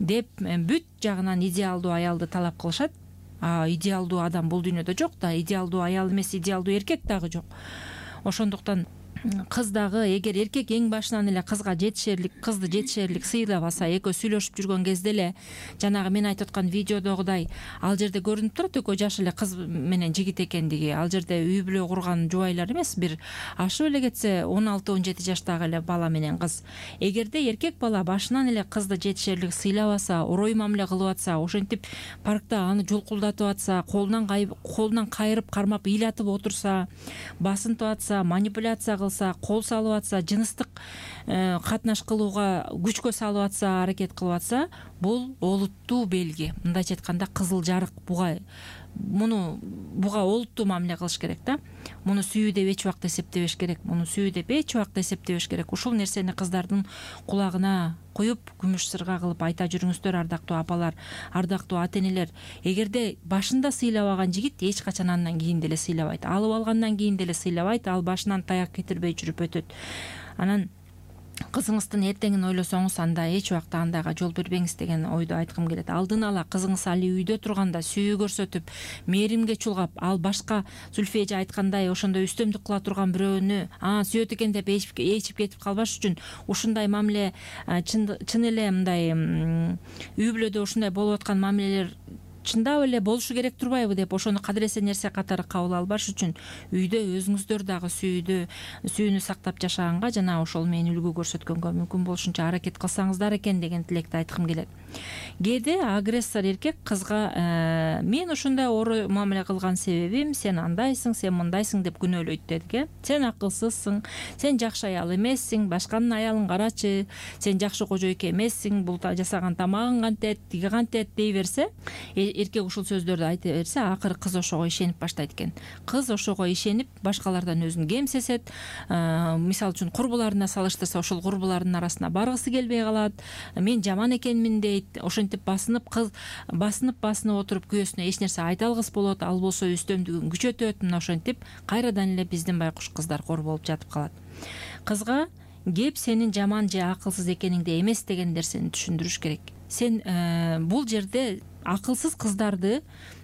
деп бүт жагынан идеалдуу аялды талап кылышат. А идеалдуу адам бул дүйнөдө жок да, идеалдуу аял эмес, идеалдуу эркек дагы жок. Ошондуктан кыз дагы эгер эркек эң башынан эле кызга жетишерлик кызды жетишерлик сыйлабаса, экөө сүйлөшүп жүргөн кезде эле жанагы мен айтып аткан видеодогудай ал жерде көрүнүп турат экөө жаш эле кыз менен жигит экендиги. Ал жерде үй бүлө курган жубайлар эмес, бир ашып эле кетсе он алты он жети жаштагы эле бала менен кыз. Эгерде эркек бала башынан эле кызды жетишерлик сыйлабаса, орой мамиле кылып атса, ошентип паркта аны жулкулдатып атса, колунан колунан кайрып кармап ыйлатып отурса, басынтып атса, манипуляция кылса, кол салып атса, жыныстык катнаш кылууга күчкө салып атса, аракет кылып атса, бул олуттуу белги. Мындайча айтканда кызыл жарык. Буга муну буга олуттуу мамиле кылыш керек да. Муну сүйүү деп эч убакта эсептебеш керек. Муну сүйүү деп эч убакта эсептебеш керек. Ушул нерсени кыздардын кулагына коюп, күмүш сырга кылып айта жүрүңүздөр, ардактуу апалар, ардактуу ата-энелер. Эгерде башында сыйлабаган жигит эч качан андан кийин деле сыйлабайт. Алып алгандан кийин деле сыйлабайт. Ал башынан таяк кетирбей жүрүп өтөт. Анан кызыңыздын эртеңин ойлосоңуз, анда эч убакта андайга жол бербеңиз деген ойду айткым келет. Алдын ала кызыңыз али үйдө турганда сүйүү көрсөтүп, мээримге чулгап, ал башка Зүлфия эже айткандай ошондой үстөмдүк кыла турган бирөөнү а сүйөт экен деп ээчип кетип калбаш үчүн ушундай мамиле чын эле мындай үй бүлөдө ушундай болуп аткан мамилелер чындап эле болушу керек турбайбы деп ошону кадыресе нерсе катары кабыл албаш үчүн үйдө өзүңүздөр дагы сүйүүдө сүйүүнү сактап жашаганга жана ошол менен үлгү көрсөткөнгө мүмкүн болушунча аракет кылсаңыздар экен деген тилекти айткым келет. Кээде агрессор эркек кызга мен ушундай оор мамиле кылган себебим сен андайсың, сен мындайсың деп күнөөлөйт дедик э. Сен акылсызсың, сен жакшы аял эмессиң, башканын аялын карачы, сен жакшы кожойке эмессиң, бул жасаган тамагың кантет, тиги кантет дей берсе, эркек ушул сөздөрдү айта берсе, акыры кыз ошого ишенип баштайт экен. Кыз ошого ишенип башкалардан өзүн кемсесет, мисалы үчүн курбуларына салыштырса, ошол курбулардын арасына баргысы келбей калат. Мен жаман экенмин дейт. Ошентип басынып кыз басынып басынып отуруп күйөөсүнө эч нерсе айта алгыс болот. Ал болсо үстөмдүгүн күчөтөт. Мына ошентип кайрадан эле биздин байкуш кыздар кор болуп жатып калат. Кызга кеп сенин жаман же акылсыз экениңди эмес деген нерсени түшүндүрүш керек. Сен бул жерде акылсыз кыздарды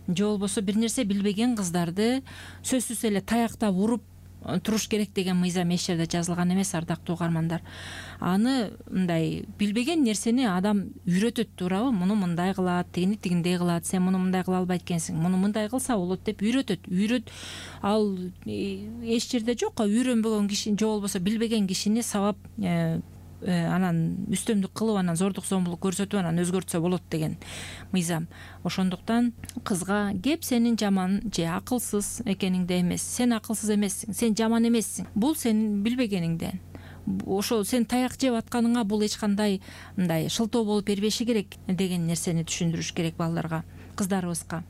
же болбосо бир нерсе билбеген кыздарды сөзсүз эле таяктап уруп туруш керек деген мыйзам эч жерде жазылган эмес, ардактуу угармандар. Аны мындай билбеген нерсени адам үйрөтөт, туурабы? Муну мындай кылат, тигини тигиндей кылат, сен муну мындай кыла албайт экенсиң, муну мындай кылса болот деп үйрөтөт. Үйрөт ал эч жерде жок, үйрөнбөгөн киши же болбосо билбеген кишини сабап анан үстөмдүк кылып, анан зордук зомбулук көрсөтүп, анан өзгөртсө болот деген мыйзам. Ошондуктан кызга кеп сенин жаман же акылсыз экениңди эмес, сен акылсыз эмессиң, сен жаман эмессиң, бул сенин билбегениңден. Ошол сен таяк жеп атканыңа бул эч кандай мындай шылтоо болуп бербеши керек деген нерсени түшүндүрүш керек балдарга, кыздарыбызга.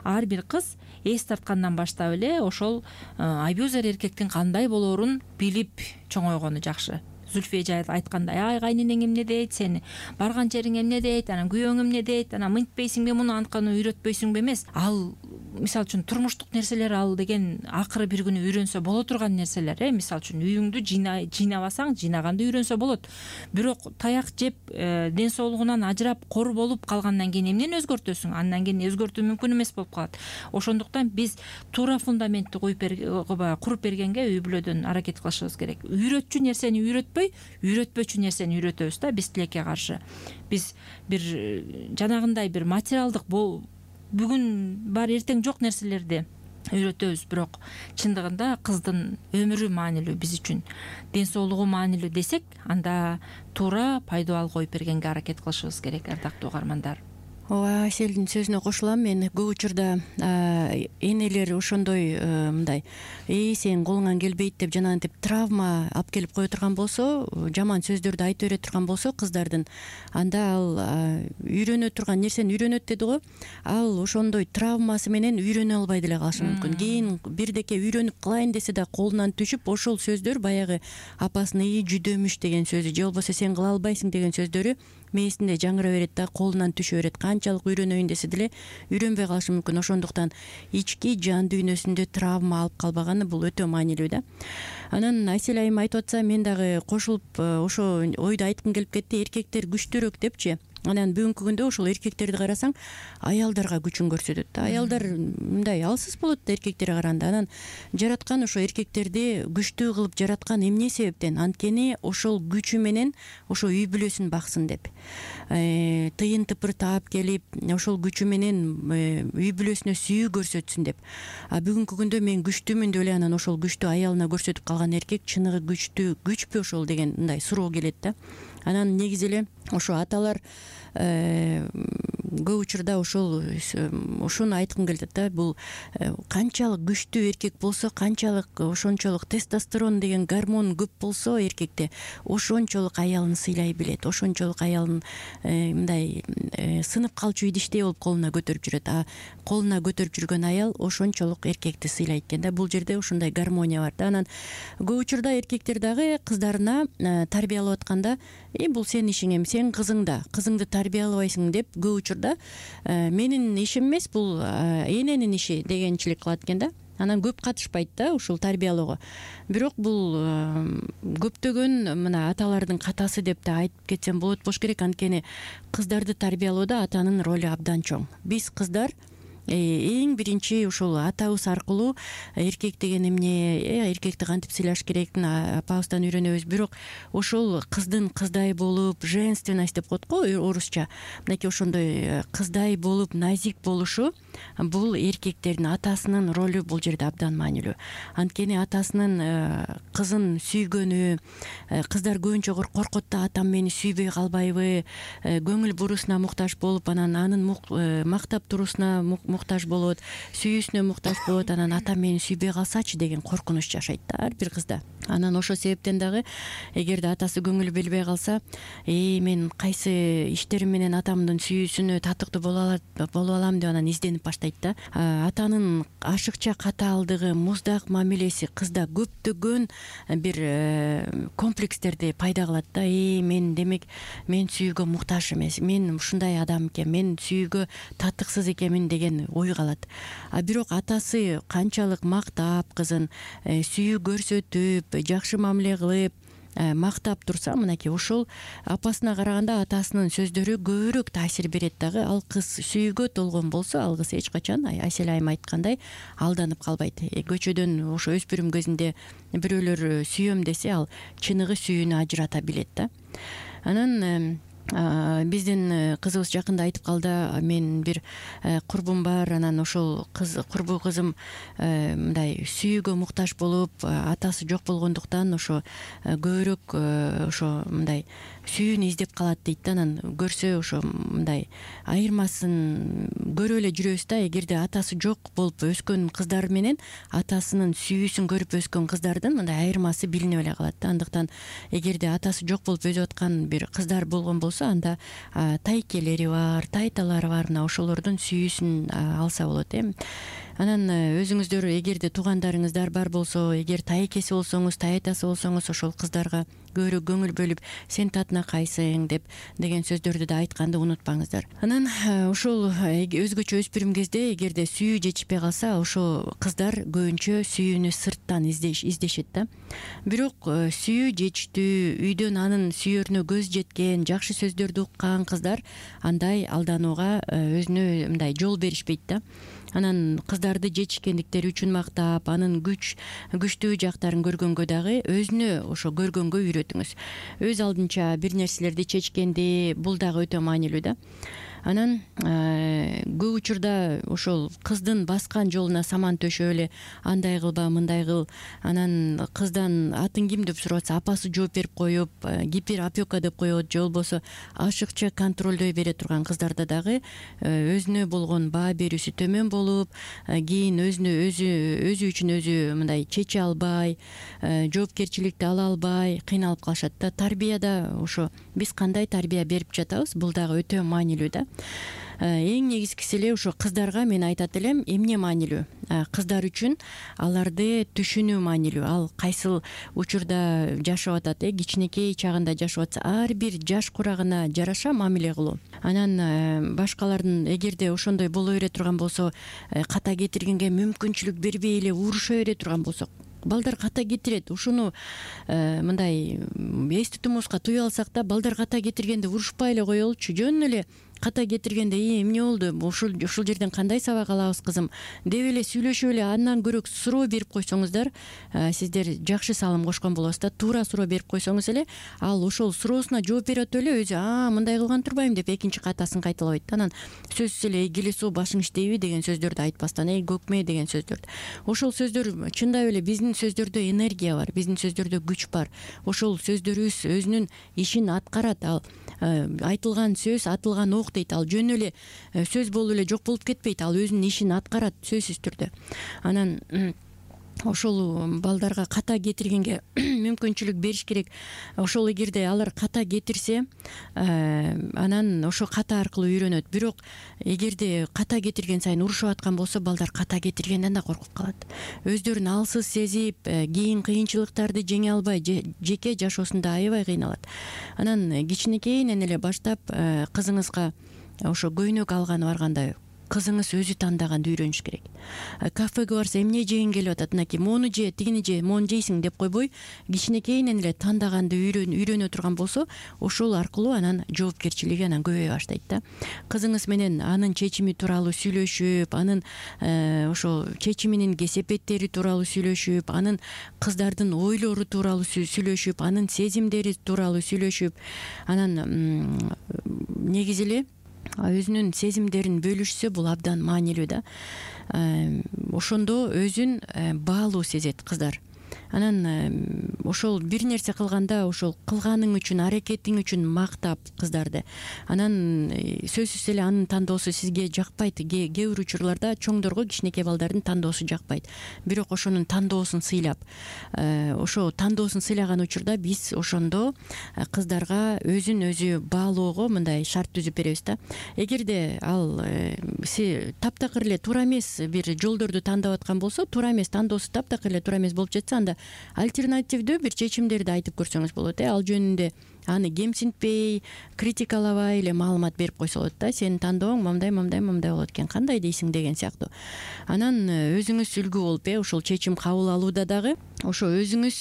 Ар бир кыз эс тарткандан баштап эле ошол абьюзер эркектин кандай болоорун билип чоңойгону жакшы. Зүлфия эже айткандай, ай кайненең эмне дейт, сени барган жериң эмне дейт, анан күйөөң эмне дейт, анан мынтпейсиңби, муну антканы үйрөтпөйсүңбү эмес. Ал мисалы үчүн турмуштук нерселер, ал деген акыры бир күнү үйрөнсө боло турган нерселер э. Мисалы үчүн үйүңдү жыйнабасаң, жыйнаганды үйрөнсө болот. Бирок таяк жеп, ден соолугунан ажырап, кор болуп калгандан кийин эмнени өзгөртөсүң? Андан кийин өзгөртүү мүмкүн эмес болуп калат. Ошондуктан биз туура фундаментти куруп бергенге үй бүлөдөн аракет кылышыбыз керек. Үйрөтчү нерсени үйрөтпөй, үйрөтпөчү нерсени үйрөтөбүз да биз тилекке каршы. Биз бир жанагындай бир материалдык бүгүн бар эртең жок нерселерди үйрөтөбүз, бирок чындыгында кыздын өмүрү маанилүү биз үчүн, ден соолугу маанилүү десек, анда туура пайдабал коюп бергенге аракет кылышыбыз керек, ардактуу угармандар. Ооба, Аселдин сөзүнө кошулам. Мен көп учурда энелер ошондой мындай эй сен колуңан келбейт деп жанагынтип травма алып келип кое турган болсо, жаман сөздөрдү айтып бере турган болсо кыздардын, анда ал үйрөнө турган нерсени үйрөнөт деди го, ал ошондой травмасы менен үйрөнө албай деле калышы мүмкүн. Кийин бирдеке үйрөнүп кылайын десе да колунан түшүп, ошол сөздөр баягы апасынын ии жүдөмүш деген сөзү же болбосо сен кыла албайсың деген сөздөрү мээсинде жаңыра берет да, колунан түшө берет. Канчалык үйрөнөйүн десе деле үйрөнбөй калышы мүмкүн. Ошондуктан ички жан дүйнөсүндө травма алып калбаганы бул өтө маанилүү да. Анан Айсел айым айтып атса, мен дагы кошулуп ошо ойду айткым келип кетти. Эркектер күчтүүрөөк депчи. Анан бүгүнкү күндө ошол эркектерди карасаң аялдарга күчүн көрсөтөт да. Аялдар мындай алсыз болот да эркектерге караганда. Анан жараткан ошо эркектерди күчтүү кылып жараткан эмне себептен? Анткени ошол күчү менен ошо үй бүлөсүн баксын деп, тыйын тыпыр таап келип ошол күчү менен үй бүлөсүнө сүйүү көрсөтсүн деп. А бүгүнкү күндө мен күчтүүмүн деп эле анан ошол күчтү аялына көрсөтүп калган эркек чыныгы күчтүү күчпү ошол деген мындай суроо келет да. Анан негизи эле ошо аталар көп учурда ошол ошону айткым келет да. Бул канчалык күчтүү эркек болсо, канчалык ошончолук тестостерон деген гормон көп болсо эркекте, ошончолук аялын сыйлай билет, ошончолук аялын мындай сынып калчу идиштей болуп колуна көтөрүп жүрөт. А колуна көтөрүп жүргөн аял ошончолук эркекти сыйлайт экен да. Бул жерде ушундай гармония бар да. Анан көп учурда эркектер дагы кыздарына тарбиялап атканда и бул сенин ишиң эми, сен кызың да, кызыңды тарбиялабайсың деп көп учурда менин ишим эмес, бул эненин иши дегенчилик кылат экен да. Анан көп катышпайт да ушул тарбиялоого. Бирок бул көптөгөн мына аталардын катасы деп да айтып кетсем болот болуш керек. Анткени кыздарды тарбиялоодо атанын ролу абдан чоң. Биз кыздар эң биринчи ушул атабыз аркылуу эркек деген эмне, эркекти кантип сыйлаш керектин апабыздан үйрөнөбүз. Бирок ошол кыздын кыздай болуп, женственность деп коет го орусча, мынакей ошондой кыздай болуп, назик болушу бул эркектердин атасынын ролу бул жерде абдан маанилүү. Анткени атасынын кызын сүйгөнү, кыздар көбүнчө коркот да, атам мени сүйбөй калбайбы, көңүл бурусуна муктаж болуп, анан анын мактап туруусуна муктаж болот, сүйүүсүнө муктаж болот. Анан атам мени сүйбөй калсачы деген коркунуч жашайт да ар бир кызда. Анан ошол себептен дагы эгерде атасы көңүл бербей калса, э мен кайсы иштерим менен атамдын сүйүүсүнө татыктуу боло алам деп анан изденип баштайт да. Атанын ашыкча катаалдыгы, муздак мамилеси кызда көптөгөн бир комплекстерди пайда кылат да. Э мен демек мен сүйүүгө муктаж эмес, мен ушундай адам экенмин, мен сүйүүгө татыксыз экенмин деген ой калат. А бирок атасы канчалык мактап кызын, сүйүү көрсөтүп, жакшы мамиле кылып, мактап турса, мынакей ошол апасына караганда атасынын сөздөрү көбүрөөк таасир берет дагы. Ал кыз сүйүүгө толгон болсо, ал кыз эч качан Асель айым айткандай алданып калбайт. Көчөдөн ошо өспүрүм кезинде бирөөлөр сүйөм десе, ал чыныгы сүйүүнү ажырата билет да. Анан биздин кызыбыз жакында айтып калды, мен бир курбум бар, анан ошол кыз курбу кызым мындай сүйүүгө муктаж болуп, атасы жок болгондуктан ошо көбүрөөк ошо мындай сүйүүнү издеп калат дейт да. Анан көрсө ошо мындай айырмасын көрүп эле жүрөбүз да. Эгерде атасы жок болуп өскөн кыздар менен атасынын сүйүүсүн көрүп өскөн кыздардын мындай айырмасы билинип эле калат да. Андыктан эгерде атасы жок болуп өсүп аткан бир кыздар болгон болсо, анда тайкелери бар, тайталары бар, мына ошолордун сүйүүсүн алса болот э. Анан өзүңүздөр эгерде туугандарыңыздар бар болсо, эгер тайкеси болсоңуз, тайтасы болсоңуз, ошол кыздарга көбүрөөк көңүл бөлүп, сен татына кайсың деп деген сөздөрдү да айтканды унутпаңыздар. Анан ошол өзгөчө өспүрүм кезде эгерде сүйүү жетишпей калса, ошо кыздар көбүнчө сүйүүнү сырттан издешет да. Бирок сүйүү жетиштүү, үйдөн анын сүйөрүнө көз жеткен, жакшы сөздөрдү уккан кыздар андай алданууга өзүнө мындай жол беришпейт да. Анан кыздарды жетишкендиктери үчүн мактап, анын күч күчтүү жактарын көргөнгө дагы өзүнө ошо көргөнгө үйрөтүңүз. Өз алдынча бир нерселерди чечкенди, бул дагы өтө маанилүү да. Анан көп учурда ошол кыздын баскан жолуна саман төшөп эле андай кылба, мындай кыл, анан кыздан атын ким деп сурап атса, апасы жооп берип коюп, гиперопека деп коет, же болбосо ашыкча контролдой бере турган кыздарда дагы өзүнө болгон баа берүүсү төмөн болуп, кийин өзүнө өзү өзү үчүн өзү мындай чече албай, жоопкерчиликти ала албай кыйналып калышат да. Тарбияда ошо биз кандай тарбия берип жатабыз, бул дагы өтө маанилүү да. Эң негизгиси эле ошо кыздарга мен айтат элем, эмне маанилүү? Кыздар үчүн аларды түшүнүү маанилүү. Ал кайсыл учурда жашап атат, э кичинекей чагында жашап атса, ар бир жаш курагына жараша мамиле кылуу. Анан башкалардын эгерде ошондой боло бере турган болсо, ката кетиргенге мүмкүнчүлүк бербей эле уруша бере турган болсок, балдар ката кетирет. Ушуну мындай эс тутумубузга туюп алсак да, балдар ката кетиргенде урушпай эле коелучу. Жөн эле ката кетиргенде эмне болду, ушул ушул жерден кандай сабак алабыз кызым деп эле сүйлөшүп эле андан көрө суроо берип койсоңуздар, сиздер жакшы салым кошкон болосуз да. Туура суроо берип койсоңуз эле ал ошол суроосуна жооп берип атып эле өзү а мындай кылган турбайм деп экинчи катасын кайталабайт. Анан сөзсүз эле келесоо башың иштейби деген сөздөрдү айтпастан эй көкме деген сөздөрдү. Ошол сөздөр чындап эле биздин сөздөрдө энергия бар, биздин сөздөрдө күч бар. Ошол сөздөрүбүз өзүнүн ишин аткарат. Ал айтылган сөз атылган ок дейт. Ал жөн эле сөз болуп эле жок болуп кетпейт. Ал өзүнүн ишин аткарат сөзсүз түрдө. Анан ошол балдарга ката кетиргенге мүмкүнчүлүк бериш керек. Ошол эгерде алар ката кетирсе, анан ошо ката аркылуу үйрөнөт. Бирок эгерде ката кетирген сайын урушуп аткан болсо, балдар ката кетиргенден да коркуп калат. Өздөрүн алсыз сезип, кийин кыйынчылыктарды жеңе албай, жеке жашоосунда аябай кыйналат. Анан кичинекейинен эле баштап кызыңызга ошо көйнөк алганы барганда кызыңыз өзү тандаганды үйрөнүш керек. Кафеге барса эмне жегиң келип атат, мынакей мону же, тигини же, мону жейсиң деп койбой, кичинекейинен эле тандаганды үйрөнө турган болсо, ошол аркылуу анан жоопкерчилиги анан көбөйө баштайт да. Кызыңыз менен анын чечими тууралуу сүйлөшүп, анын ошо чечиминин кесепеттери тууралуу сүйлөшүп, анын кыздардын ойлору тууралуу сүйлөшүп, анын сезимдери тууралуу сүйлөшүп, анан негизи эле өзүнүн сезимдерин бөлүшсө, бул абдан маанилүү да. Ошондо өзүн баалуу сезет кыздар. Анан ошол бир нерсе кылганда ошол кылганың үчүн, аракетиң үчүн мактап кыздарды. Анан сөзсүз эле анын тандоосу сизге жакпайт. Кээ бир учурларда чоңдорго кичинекей балдардын тандоосу жакпайт. Бирок ошонун тандоосун сыйлап, ошо тандоосун сыйлаган учурда биз ошондо кыздарга өзүн өзү баалоого мындай шарт түзүп беребиз да. Эгерде ал таптакыр эле туура эмес бир жолдорду тандап аткан болсо, туура эмес тандоосу таптакыр эле туура эмес болуп жатса, анда альтернативдүү бир чечимдерди айтып көрсөңүз болот. Ал жөнүндө аны кемсинтпей, критикалабай эле маалымат берип койсо болот да. Сенин тандооң мындай, мындай, мындай болот экен, кандай дейсиң деген сыяктуу. Анан өзүңүз үлгү болуп, э ошол чечим кабыл алууда дагы ошо өзүңүз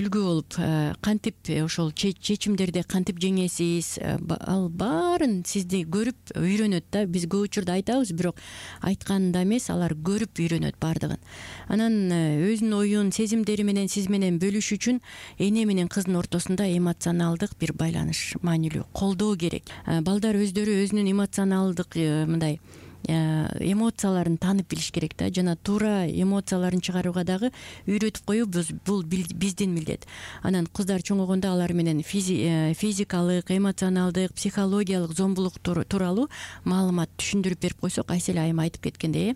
үлгү болуп, кантип ошол чечимдерди кантип жеңесиз, ал баарын сизди көрүп үйрөнөт да. Биз көп учурда айтабыз, бирок айтканда эмес, алар көрүп үйрөнөт баардыгын. Анан өзүнүн оюн, сезимдери менен сиз менен бөлүш үчүн эне менен кыздын ортосунда эмоционалдык бир байланыш маанилүү, колдоо керек. Балдар өздөрү өзүнүн эмоционалдык мындай эмоцияларын таанып билиш керек да. Жана туура эмоцияларын чыгарууга дагы үйрөтүп коюу бул биздин милдет. Анан кыздар чоңойгондо алар менен физикалык, эмоционалдык, психологиялык зомбулук тууралуу маалымат түшүндүрүп берип койсок, Айсель айым айтып кеткендей,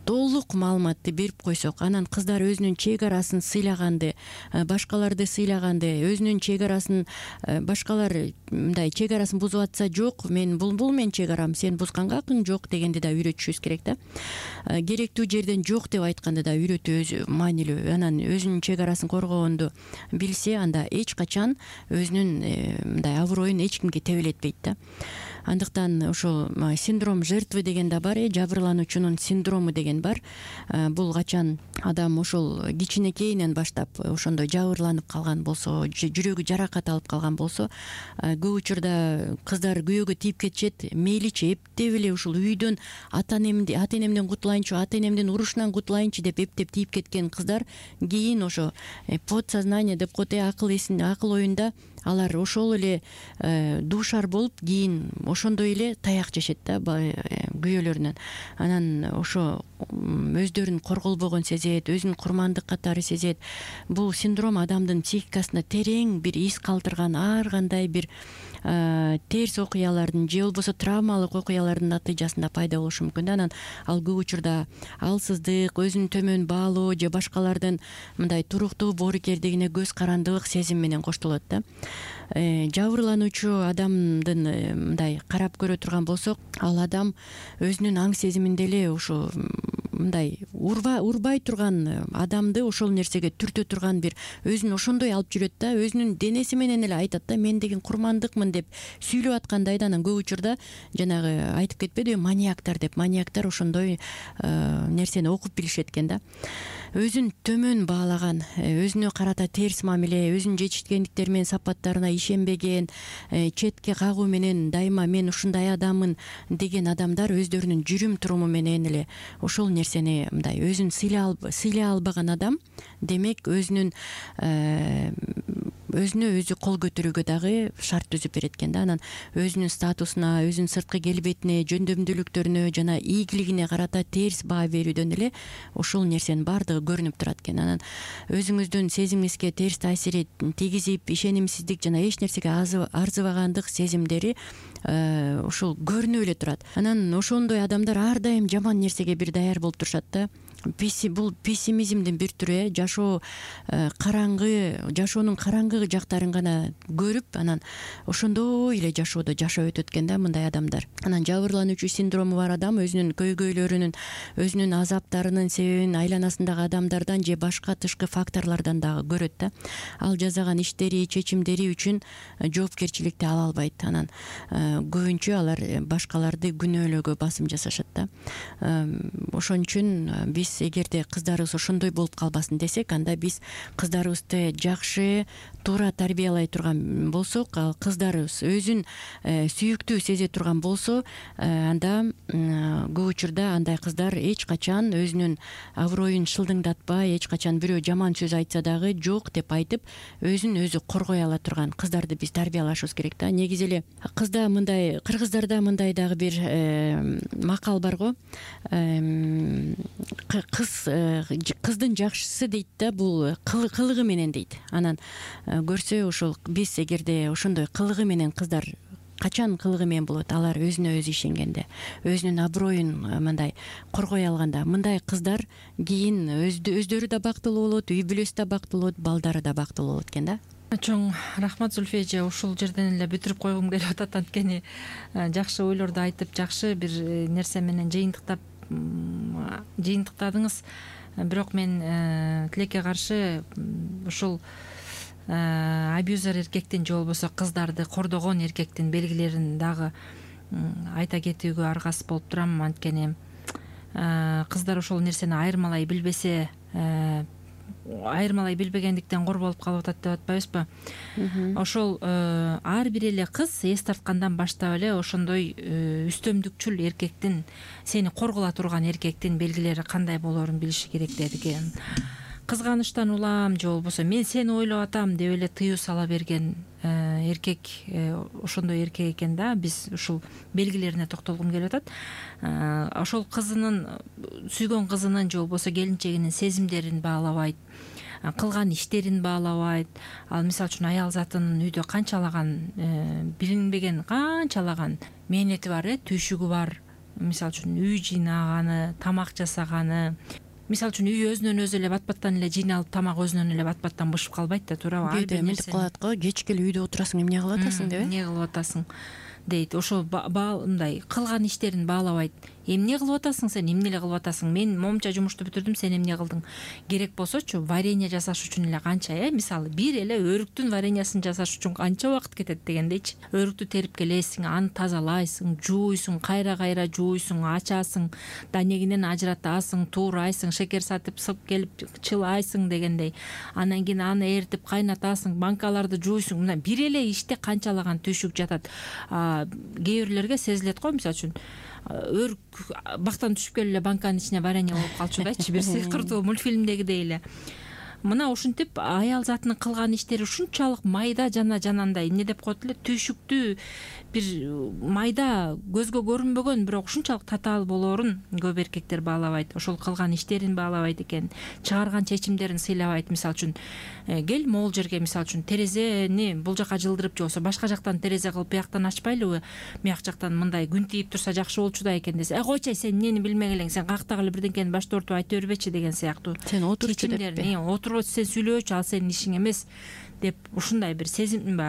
толук маалыматты берип койсок, анан кыздар өзүнүн чек арасын сыйлаганды, башкаларды сыйлаганды, өзүнүн чек арасын башкалар мындай чек арасын бузуп атса, жок, мен бул бул менин чек арам, сен бузганга акың жок дегенди да үйрөтүшүбүз керек да. Керектүү жерден жок деп айтканды да үйрөтүү өзү маанилүү. Анан өзүнүн чек арасын коргогонду билсе, анда эч качан өзүнүн мындай аброюн эч кимге тебелетпейт да. Андыктан ошол синдром жертвы деген да бар, э жабырлануучунун синдрому деген бар. Бул качан адам ошол кичинекейинен баштап ошондой жабырланып калган болсо, жүрөгү жаракат алып калган болсо, көп учурда кыздар күйөөгө тийип кетишет. Мейличи эптеп эле ушул үйдөн ата энемди ата энемден кутулайынчы, ата энемдин урушунан кутулайынчы деп эптеп тийип кеткен кыздар кийин ошо подсознание деп коет, акыл эсин акыл оюнда алар ошол эле дуушар болуп, кийин ошондой эле таяк жешет да күйөөлөрүнөн. Анан ошо өздөрүн корголбогон сезет, өзүн курмандык катары сезет. Бул синдром адамдын психикасына терең бир из калтырган ар кандай бир терс окуялардын же болбосо травмалык окуялардын натыйжасында пайда болушу мүмкүн. Анан ал көп учурда алсыздык, өзүн төмөн баалоо же башкалардын мындай туруктуу боорукердигине көз карандылык сезим менен коштолот да. Жабырлануучу адамдын мындай карап көрө турган болсок, ал адам өзүнүн аң сезиминде эле ошо мындай урба урбай турган адамды ошол нерсеге түртө турган бир өзүн ошондой алып жүрөт да, өзүнүн денеси менен эле айтат да, мен деген курмандыкмын деп сүйлөп аткандай да. Анан көп учурда жанагы айтып кетпедиби, маньяктар деп, маньяктар ошондой нерсени окуп билишет экен да. Өзүн төмөн баалаган, өзүнө карата терс мамиле, өзүнүн жетишкендиктери менен сапаттарына ишенбеген, четке кагуу менен дайыма мен ушундай адаммын деген адамдар өздөрүнүн жүрүм туруму менен эле ошол нерсени мындай өзүн сыйлай албаган адам, демек өзүнүн өзүнө өзү кол көтөрүүгө дагы шарт түзүп берет экен да. Анан өзүнүн статусуна, өзүнүн сырткы келбетине, жөндөмдүүлүктөрүнө жана ийгилигине карата терс баа берүүдөн эле ошол нерсенин баардыгы көрүнүп турат экен. Анан өзүңүздүн сезимиңизге терс таасир тийгизип, ишенимсиздик жана эч нерсеге арзыбагандык сезимдери ошол көрүнүп эле турат. Анан ошондой адамдар ар дайым жаман нерсеге бир даяр болуп турушат да. Бул пессимизмдин бир түрү, э жашоо караңгы, жашоонун караңгы жактарын гана көрүп, анан ошондой эле жашоодо жашап өтөт экен да мындай адамдар. Анан жабырлануучу синдрому бар адам өзүнүн көйгөйлөрүнүн, өзүнүн азаптарынын себебин айланасындагы адамдардан же башка тышкы факторлордон дагы көрөт да. Ал жасаган иштери, чечимдери үчүн жоопкерчиликти ала албайт. Анан көбүнчө алар башкаларды күнөөлөөгө басым жасашат да. Ошон үчүн биз эгерде кыздарыбыз ошондой болуп калбасын десек, анда биз кыздарыбызды жакшы, туура тарбиялай турган болсок, ал кыздарыбыз өзүн сүйүктүү сезе турган болсо, анда көп учурда андай кыздар эч качан өзүнүн аброюн шылдыңдатпай, эч качан бирөө жаман сөз айтса дагы жок деп айтып, өзүн өзү коргой ала турган кыздарды биз тарбиялашыбыз керек да. Негизи эле кызда мындай, кыргыздарда мындай дагы бир макал бар го. Кыз кыздын жакшысы дейт да, бул кылыгы менен дейт. Анан көрсө ошол биз эгерде ошондой кылыгы менен кыздар качан кылыгы менен болот, алар өзүнө өзү ишенгенде, өзүнүн аброюн мындай коргой алганда, мындай кыздар кийин өздөрү да бактылуу болот, үй бүлөсү да бактылуу болот, балдары да бактылуу болот экен да. Чоң рахмат Зульфия эже, ушул жерден эле бүтүрүп койгум келип атат. Анткени жакшы ойлорду айтып, жакшы бир нерсе менен жыйынтыктап жыйынтыктадыңыз. Бирок мен тилекке каршы ушул абьюзер эркектин же болбосо кыздарды кордогон эркектин белгилерин дагы айта кетүүгө аргасыз болуп турам. Анткени кыздар ошол нерсени айырмалай билбесе, айырмалай билбегендиктен кор болуп калып атат деп атпайбызбы? Ошол ар бир эле кыз эс тарткандан баштап эле ошондой үстөмдүкчүл эркектин, сени коргола турган эркектин белгилери кандай болоорун билиши керек деген. Кызганычтан улам же болбосо мен сени ойлоп атам деп эле тыюу сала берген эркек ошондой эркек экен да. Биз ушул белгилерине токтолгум келип атат. Ошол кызынын, сүйгөн кызынын же болбосо келинчегинин сезимдерин баалабайт, кылган иштерин баалабайт. Ал мисалы үчүн аял затынын үйдө канчалаган билинбеген канчалаган мээнети бар, э түйшүгү бар. Мисалы үчүн үй жыйнаганы, тамак жасаганы. Мисалы үчүн үй өзүнөн өзү эле бат-баттан эле жыйналып, тамак өзүнөн эле бат-баттан бышып калбайт да, туурабы? Бүйдө мынтип калат го, кечке эле үйдө отурасың, эмне кылып атасың деп, э? Эмне кылып атасың дейт. Ошол мындай кылган иштерин баалабайт. Эмне кылып атасың сен, эмне эле кылып атасың? Мен момча жумушту бүтүрдүм, сен эмне кылдың? Керек болсочу, варенье жасаш үчүн эле канча, э мисалы бир эле өрүктүн вареньясын жасаш үчүн канча убакыт кетет дегендейчи. Өрүктү терип келесиң, аны тазалайсың, жууйсуң, кайра-кайра жууйсуң, ачасың, данегинен ажыратасың, туурайсың, шекер сатып сып келип чылайсың дегендей. Анан кийин аны эритип кайнатасың, банкаларды жууйсуң. Мына бир эле иште канчалаган түйшүк жатат. Кээ бирлерге сезилет го, мисалы үчүн өрүк бактан түшүп келип эле банканын ичине варенье болуп калчу дачы, бир сыйкыртуу мультфильмдегидей эле. Мына ушинтип аял затынын кылган иштери ушунчалык майда жана жанандай, эмне деп коет эле, түйшүктүү бир майда, көзгө көрүнбөгөн, бирок ушунчалык татаал болоорун көп эркектер баалабайт. Ошол кылган иштерин баалабайт экен, чыгарган чечимдерин сыйлабайт. Мисалы үчүн кел могул жерге, мисалы үчүн терезени бул жака жылдырып, же болбосо башка жактан терезе кылып бияктан ачпайлыбы, бияк жактан мындай күн тийип турса жакшы болчу да экен десе, э койчу, сен эмнени билмеген элең, сен каяктагы эле бирдеңкени баш тартып айта бербечи деген сыяктуу. Сен отурчу деп, отурбочу, сен сүйлөөчү, ал сенин ишиң эмес деп ушундай бир сезим,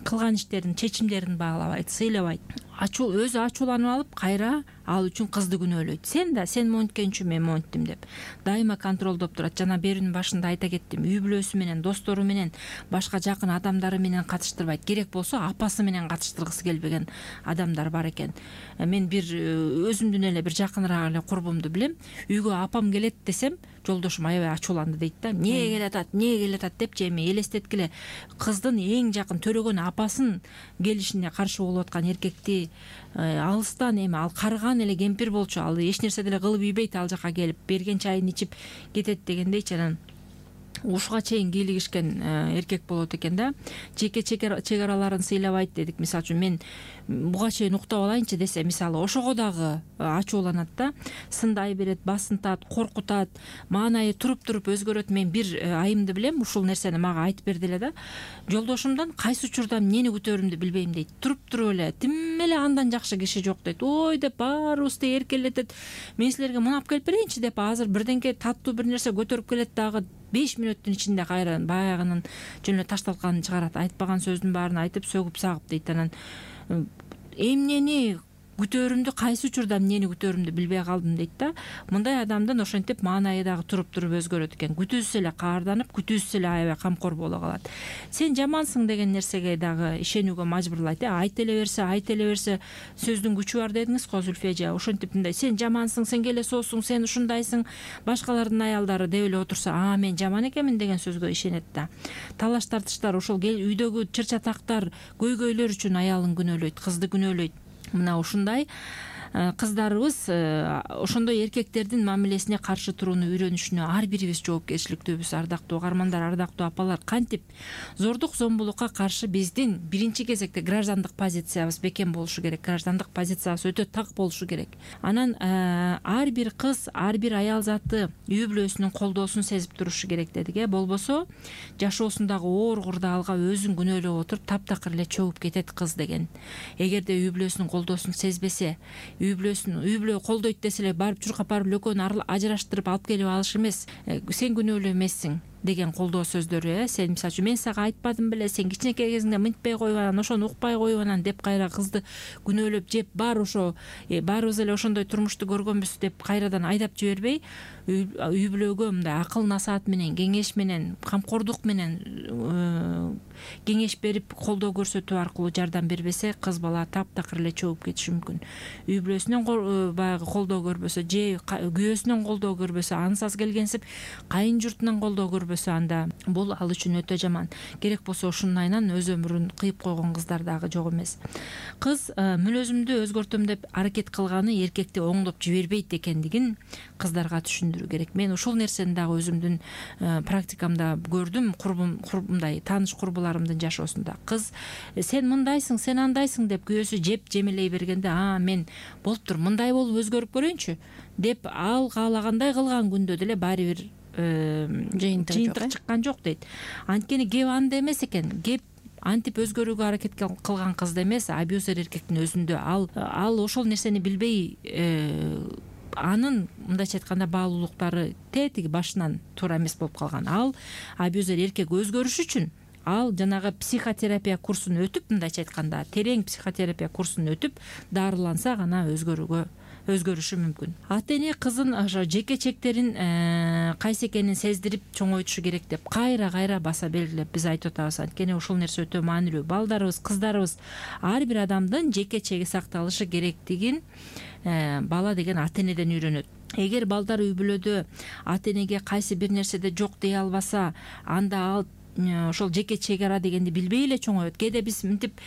кылган иштерин, чечимдерин баалабайт, сыйлабайт. ачуу өзү ачууланып алып кайра ал үчүн кызды күнөөлөйт. Сен да сен монткенчү мен монттим деп дайыма контролдоп турат. Жана берүүнүн башында айта кеттим, үй бүлөсү менен, достору менен, башка жакын адамдары менен катыштырбайт. Керек болсо апасы менен катыштыргысы келбеген адамдар бар экен. Мен бир өзүмдүн эле бир жакыныраак эле курбумду билем. Үйгө апам келет десем, жолдошум аябай ачууланды дейт да. Эмне келатат, эмне келатат депчи эми элестеткиле. Кыздын эң жакын төрөгөн апасын келишине каршы болуп аткан эркекти алыстан эми ал карыган эле кемпир болчу, ал эч нерсе деле кылып ийбейт, ал жака келип берген чайын ичип кетет дегендейчи. Анан ушуга чейин кийлигишкен эркек болот экен да. Жеке чегараларын сыйлабайт дедик. Мисалы үчүн мен буга чейин уктап алайынчы десе, мисалы ошого дагы ачууланат да, сындай берет, басынтат, коркутат, маанайы туруп-туруп өзгөрөт. Мен бир айымды билем, ушул нерсени мага айтып берди эле да. Жолдошумдан кайсы учурда эмнени күтөөрүмдү билбейм дейт. Туруп-туруп эле тим эле андан жакшы киши жок дейт. Ой деп баарыбызды эркелетет. Мен силерге мунап келип берейинчи деп азыр бирденке таттуу бир нерсе көтөрүп келет, дагы беш мүнөттүн ичинде кайра баягынын жөн эле ташталганын чыгарат. Айтпаган сөздүн баарын айтып сөгүп сагып дейт. Анан эмнени күтөөрүмдү, кайсы учурда эмнени күтөөрүмдү билбей калдым дейт да. Мындай адамдын ошентип маанайы дагы туруп-туруп өзгөрөт экен. Күтүүсүз эле каарданып, күтүүсүз эле аябай камкор боло калат. Сен жамансың деген нерсеге дагы ишенүүгө мажбурлайт. Айта эле берсе, айта эле берсе сөздүн күчү бар дедиңиз го Зүлфия эже. Ошентип мындай сен жамансың, сен келесоосуң, сен ушундайсың, башкалардын аялдары деп эле отурса, а мен жаман экенмин деген сөзгө ишенет да. Талаш тартыштар, ошол үйдөгү чыр-чатактар, көйгөйлөр үчүн аялын күнөөлөйт, кызды күнөөлөйт. Мына ушундай кыздарыбыз ошондой эркектердин мамилесине каршы турууну үйрөнүшүнө ар бирибиз жоопкерчиликтүүбүз. Ардактуу угармандар, ардактуу апалар, кантип зордук зомбулукка каршы биздин биринчи кезекте граждандык позициябыз бекем болушу керек, граждандык позициябыз өтө так болушу керек. Анан ар бир кыз, ар бир аял заты үй бүлөсүнүн колдоосун сезип турушу керек дедик э. Болбосо жашоосундагы оор курдаалга өзүн күнөөлөп отуруп таптакыр эле чөгүп кетет кыз деген. Эгерде үй бүлөсүнүн колдоосун сезбесе, үй бүлөсүн үй бүлө колдойт десе эле барып чуркап барып экөөнү ажыраштырып алып келип алыш эмес. Сен күнөөлүү эмессиң деген колдоо сөздөрү э. Сен мисалы үчүн мен сага айтпадым беле, сен кичинекей кезиңде мынтпай коюп анан ошону укпай коюп анан деп кайра кызды күнөөлөп жеп, баары ошо баарыбыз эле ошондой турмушту көргөнбүз деп кайрадан айдап жибербей, үй бүлөгө мындай акыл насаат менен, кеңеш менен, камкордук менен кеңеш берип, колдоо көрсөтүү аркылуу жардам бербесе, кыз бала таптакыр эле чөгүп кетиши мүмкүн. Үй бүлөсүнөн баягы колдоо көрбөсө, же күйөөсүнөн колдоо көрбөсө, ансаз келгенсип кайын журтунан колдоо көрбөсө, анда бул ал үчүн өтө жаман. Керек болсо ушунун айынан өз өмүрүн кыйып койгон кыздар дагы жок эмес. Кыз мүнөзүмдү өзгөртөм деп аракет кылганы эркекти оңдоп жибербейт экендигин кыздарга түшүндүрүү керек. Мен ушул нерсени дагы өзүмдүн практикамда көрдүм, курбум мындай тааныш курбуларымдын жашоосунда. Кыз сен мындайсың, сен андайсың деп күйөөсү жеп жемелей бергенде, а мен болуптур, мындай болуп өзгөрүп көрөйүнчү деп ал каалагандай кылган күндө деле баары бир жыйынтык чыккан жок дейт. Анткени кеп анда эмес экен, кеп антип өзгөрүүгө аракет кылган кызда эмес, абьюзер эркектин өзүндө. Ал ал ошол нерсени билбей, анын мындайча айтканда баалуулуктары тетиги башынан туура эмес болуп калган. Ал абьюзер эркек өзгөрүш үчүн ал жанагы психотерапия курсун өтүп, мындайча айтканда терең психотерапия курсун өтүп, дарыланса гана өзгөрүүгө өзгөрүшү мүмкүн. Ата эне кызын ошо жеке чектерин кайсы экенин сездирип чоңойтушу керек деп кайра кайра баса белгилеп биз айтып атабыз. Анткени ушул нерсе өтө маанилүү. Балдарыбыз, кыздарыбыз ар бир адамдын жеке чеги сакталышы керектигин бала деген ата энеден үйрөнөт. Эгер балдар үй бүлөдө ата энеге кайсы бир нерседе жок дей албаса, анда ал ошол жеке чегара дегенди билбей эле чоңоет. Кээде биз мынтип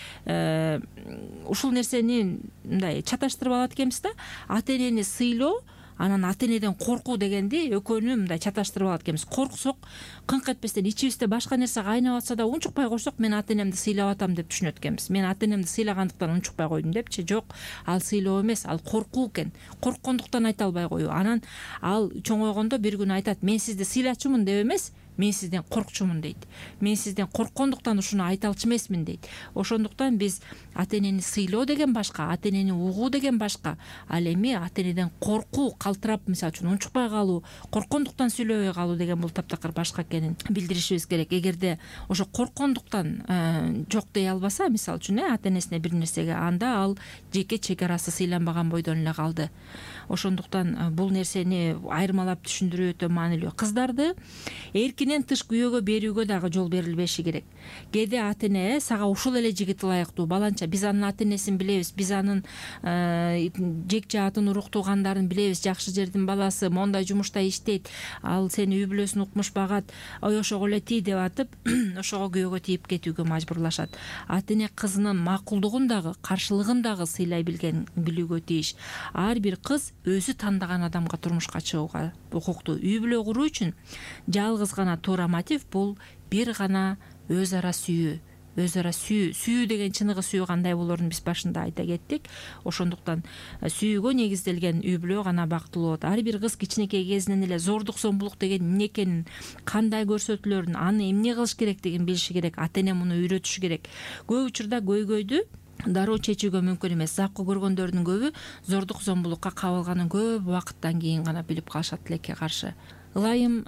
ушул нерсени мындай чаташтырып алат экенбиз да. Ата энени сыйлоо, анан ата энеден коркуу дегенди экөөнү мындай чаташтырып алат экенбиз. Корксок, кыңк этпестен ичибизде башка нерсе кайнап атса да унчукпай койсок, мен ата энемди сыйлап атам деп түшүнөт экенбиз. Мен ата энемди сыйлагандыктан унчукпай койдум депчи. Жок, ал сыйлоо эмес, ал коркуу экен. Корккондуктан айта албай коюу. Анан ал чоңойгондо бир күнү айтат, мен сизди сыйлачумун деп эмес, мен сизден коркчумун дейт. Мен сизден корккондуктан ушуну айта алчу эмесмин дейт. Ошондуктан биз ата энени сыйлоо деген башка, ата энени угуу деген башка. Ал эми ата энеден коркуу, калтырап мисалы үчүн унчукпай калуу, корккондуктан сүйлөбөй калуу деген бул таптакыр башка экенин билдиришибиз керек. Эгерде ошо корккондуктан жок дей албаса, мисалы үчүн э ата энесине бир нерсеге, анда ал жеке чек арасы сыйланбаган бойдон эле калды. Ошондуктан бул нерсени айырмалап түшүндүрүү өтө маанилүү. Кыздарды эркинен тыш күйөөгө берүүгө дагы жол берилбеши керек. Кээде ата эне сага ушул эле жигит ылайыктуу, баланча биз анын ата энесин билебиз, биз анын жек жаатын, урук туугандарын билебиз, жакшы жердин баласы, мондай жумушта иштейт, ал сени үй бүлөсүн укмуш багат, ой ошого эле тий деп атып ошого күйөөгө тийип кетүүгө мажбурлашат. Ата эне кызынын макулдугун дагы, каршылыгын дагы сыйлай билген билүүгө тийиш. Ар бир кыз өзү тандаган адамга турмушка чыгууга укуктуу. Үй бүлө куруу үчүн жалгыз гана туура мотив бул бир гана өз ара сүйүү. Өз ара сүйүү, сүйүү деген чыныгы сүйүү кандай болорун биз башында айта кеттик. Ошондуктан сүйүүгө негизделген үй бүлө гана бактылуу болот. Ар бир кыз кичинекей кезинен эле зордук зомбулук деген эмне экенин, кандай көрсөтүлөрүн, аны эмне кылыш керектигин билиши керек. Ата эне муну үйрөтүшү керек. Көп учурда көйгөйдү дароо чечүүгө мүмкүн эмес. Закко көргөндөрдүн көбү зордук зомбулукка кабылганын көп убакыттан кийин гана билип калышат тилекке каршы. Ылайым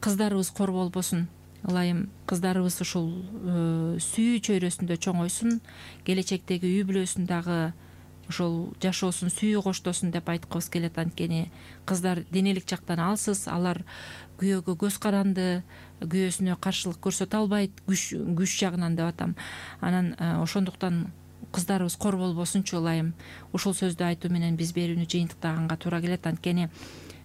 кыздарыбыз кор болбосун. Ылайым кыздарыбыз ушул сүйүү чөйрөсүндө чоңойсун, келечектеги үй бүлөсүн дагы ошол жашоосун сүйүү коштосун деп айткыбыз келет. Анткени кыздар денелик жактан алсыз, алар күйөөгө көз каранды, күйөөсүнө каршылык көрсөтө албайт, күч күч жагынан деп атам. Анан ошондуктан кыздарыбыз кор болбосунчу. Ылайым ушул сөздү айтуу менен биз берүүнү жыйынтыктаганга туура келет. Анткени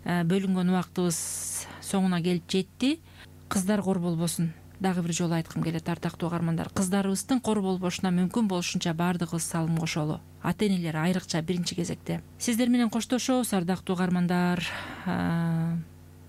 бөлүнгөн убактыбыз соңуна келип жетти. Кыздар кор болбосун. Дагы бир жолу айткым келет, артактуу угармандар. Кыздарыбыздын кор болбошуна мүмкүн болушунча баардыгыбыз салым кошолу. Ата энелер айрыкча биринчи кезекте. Сиздер менен коштошобуз, ардактуу угармандар.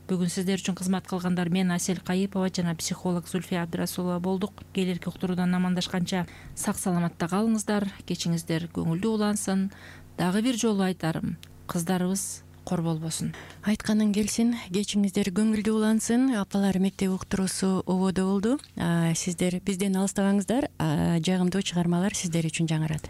Бүгүн сиздер үчүн кызмат кылгандар мен Асель Кайыпова жана психолог Зульфия Абдрасулова болдук. Келерки уктуруудан амандашканча сак саламатта калыңыздар, кечиңиздер көңүлдүү улансын. Дагы бир жолу айтарым, кыздарыбыз кор болбосун. Айтканың келсин, кечиңиздер көңүлдүү улансын. Апалар мектеп уктуруусу ободо болду. Сиздер бизден алыстабаңыздар. Жагымдуу чыгармалар сиздер үчүн жаңырат.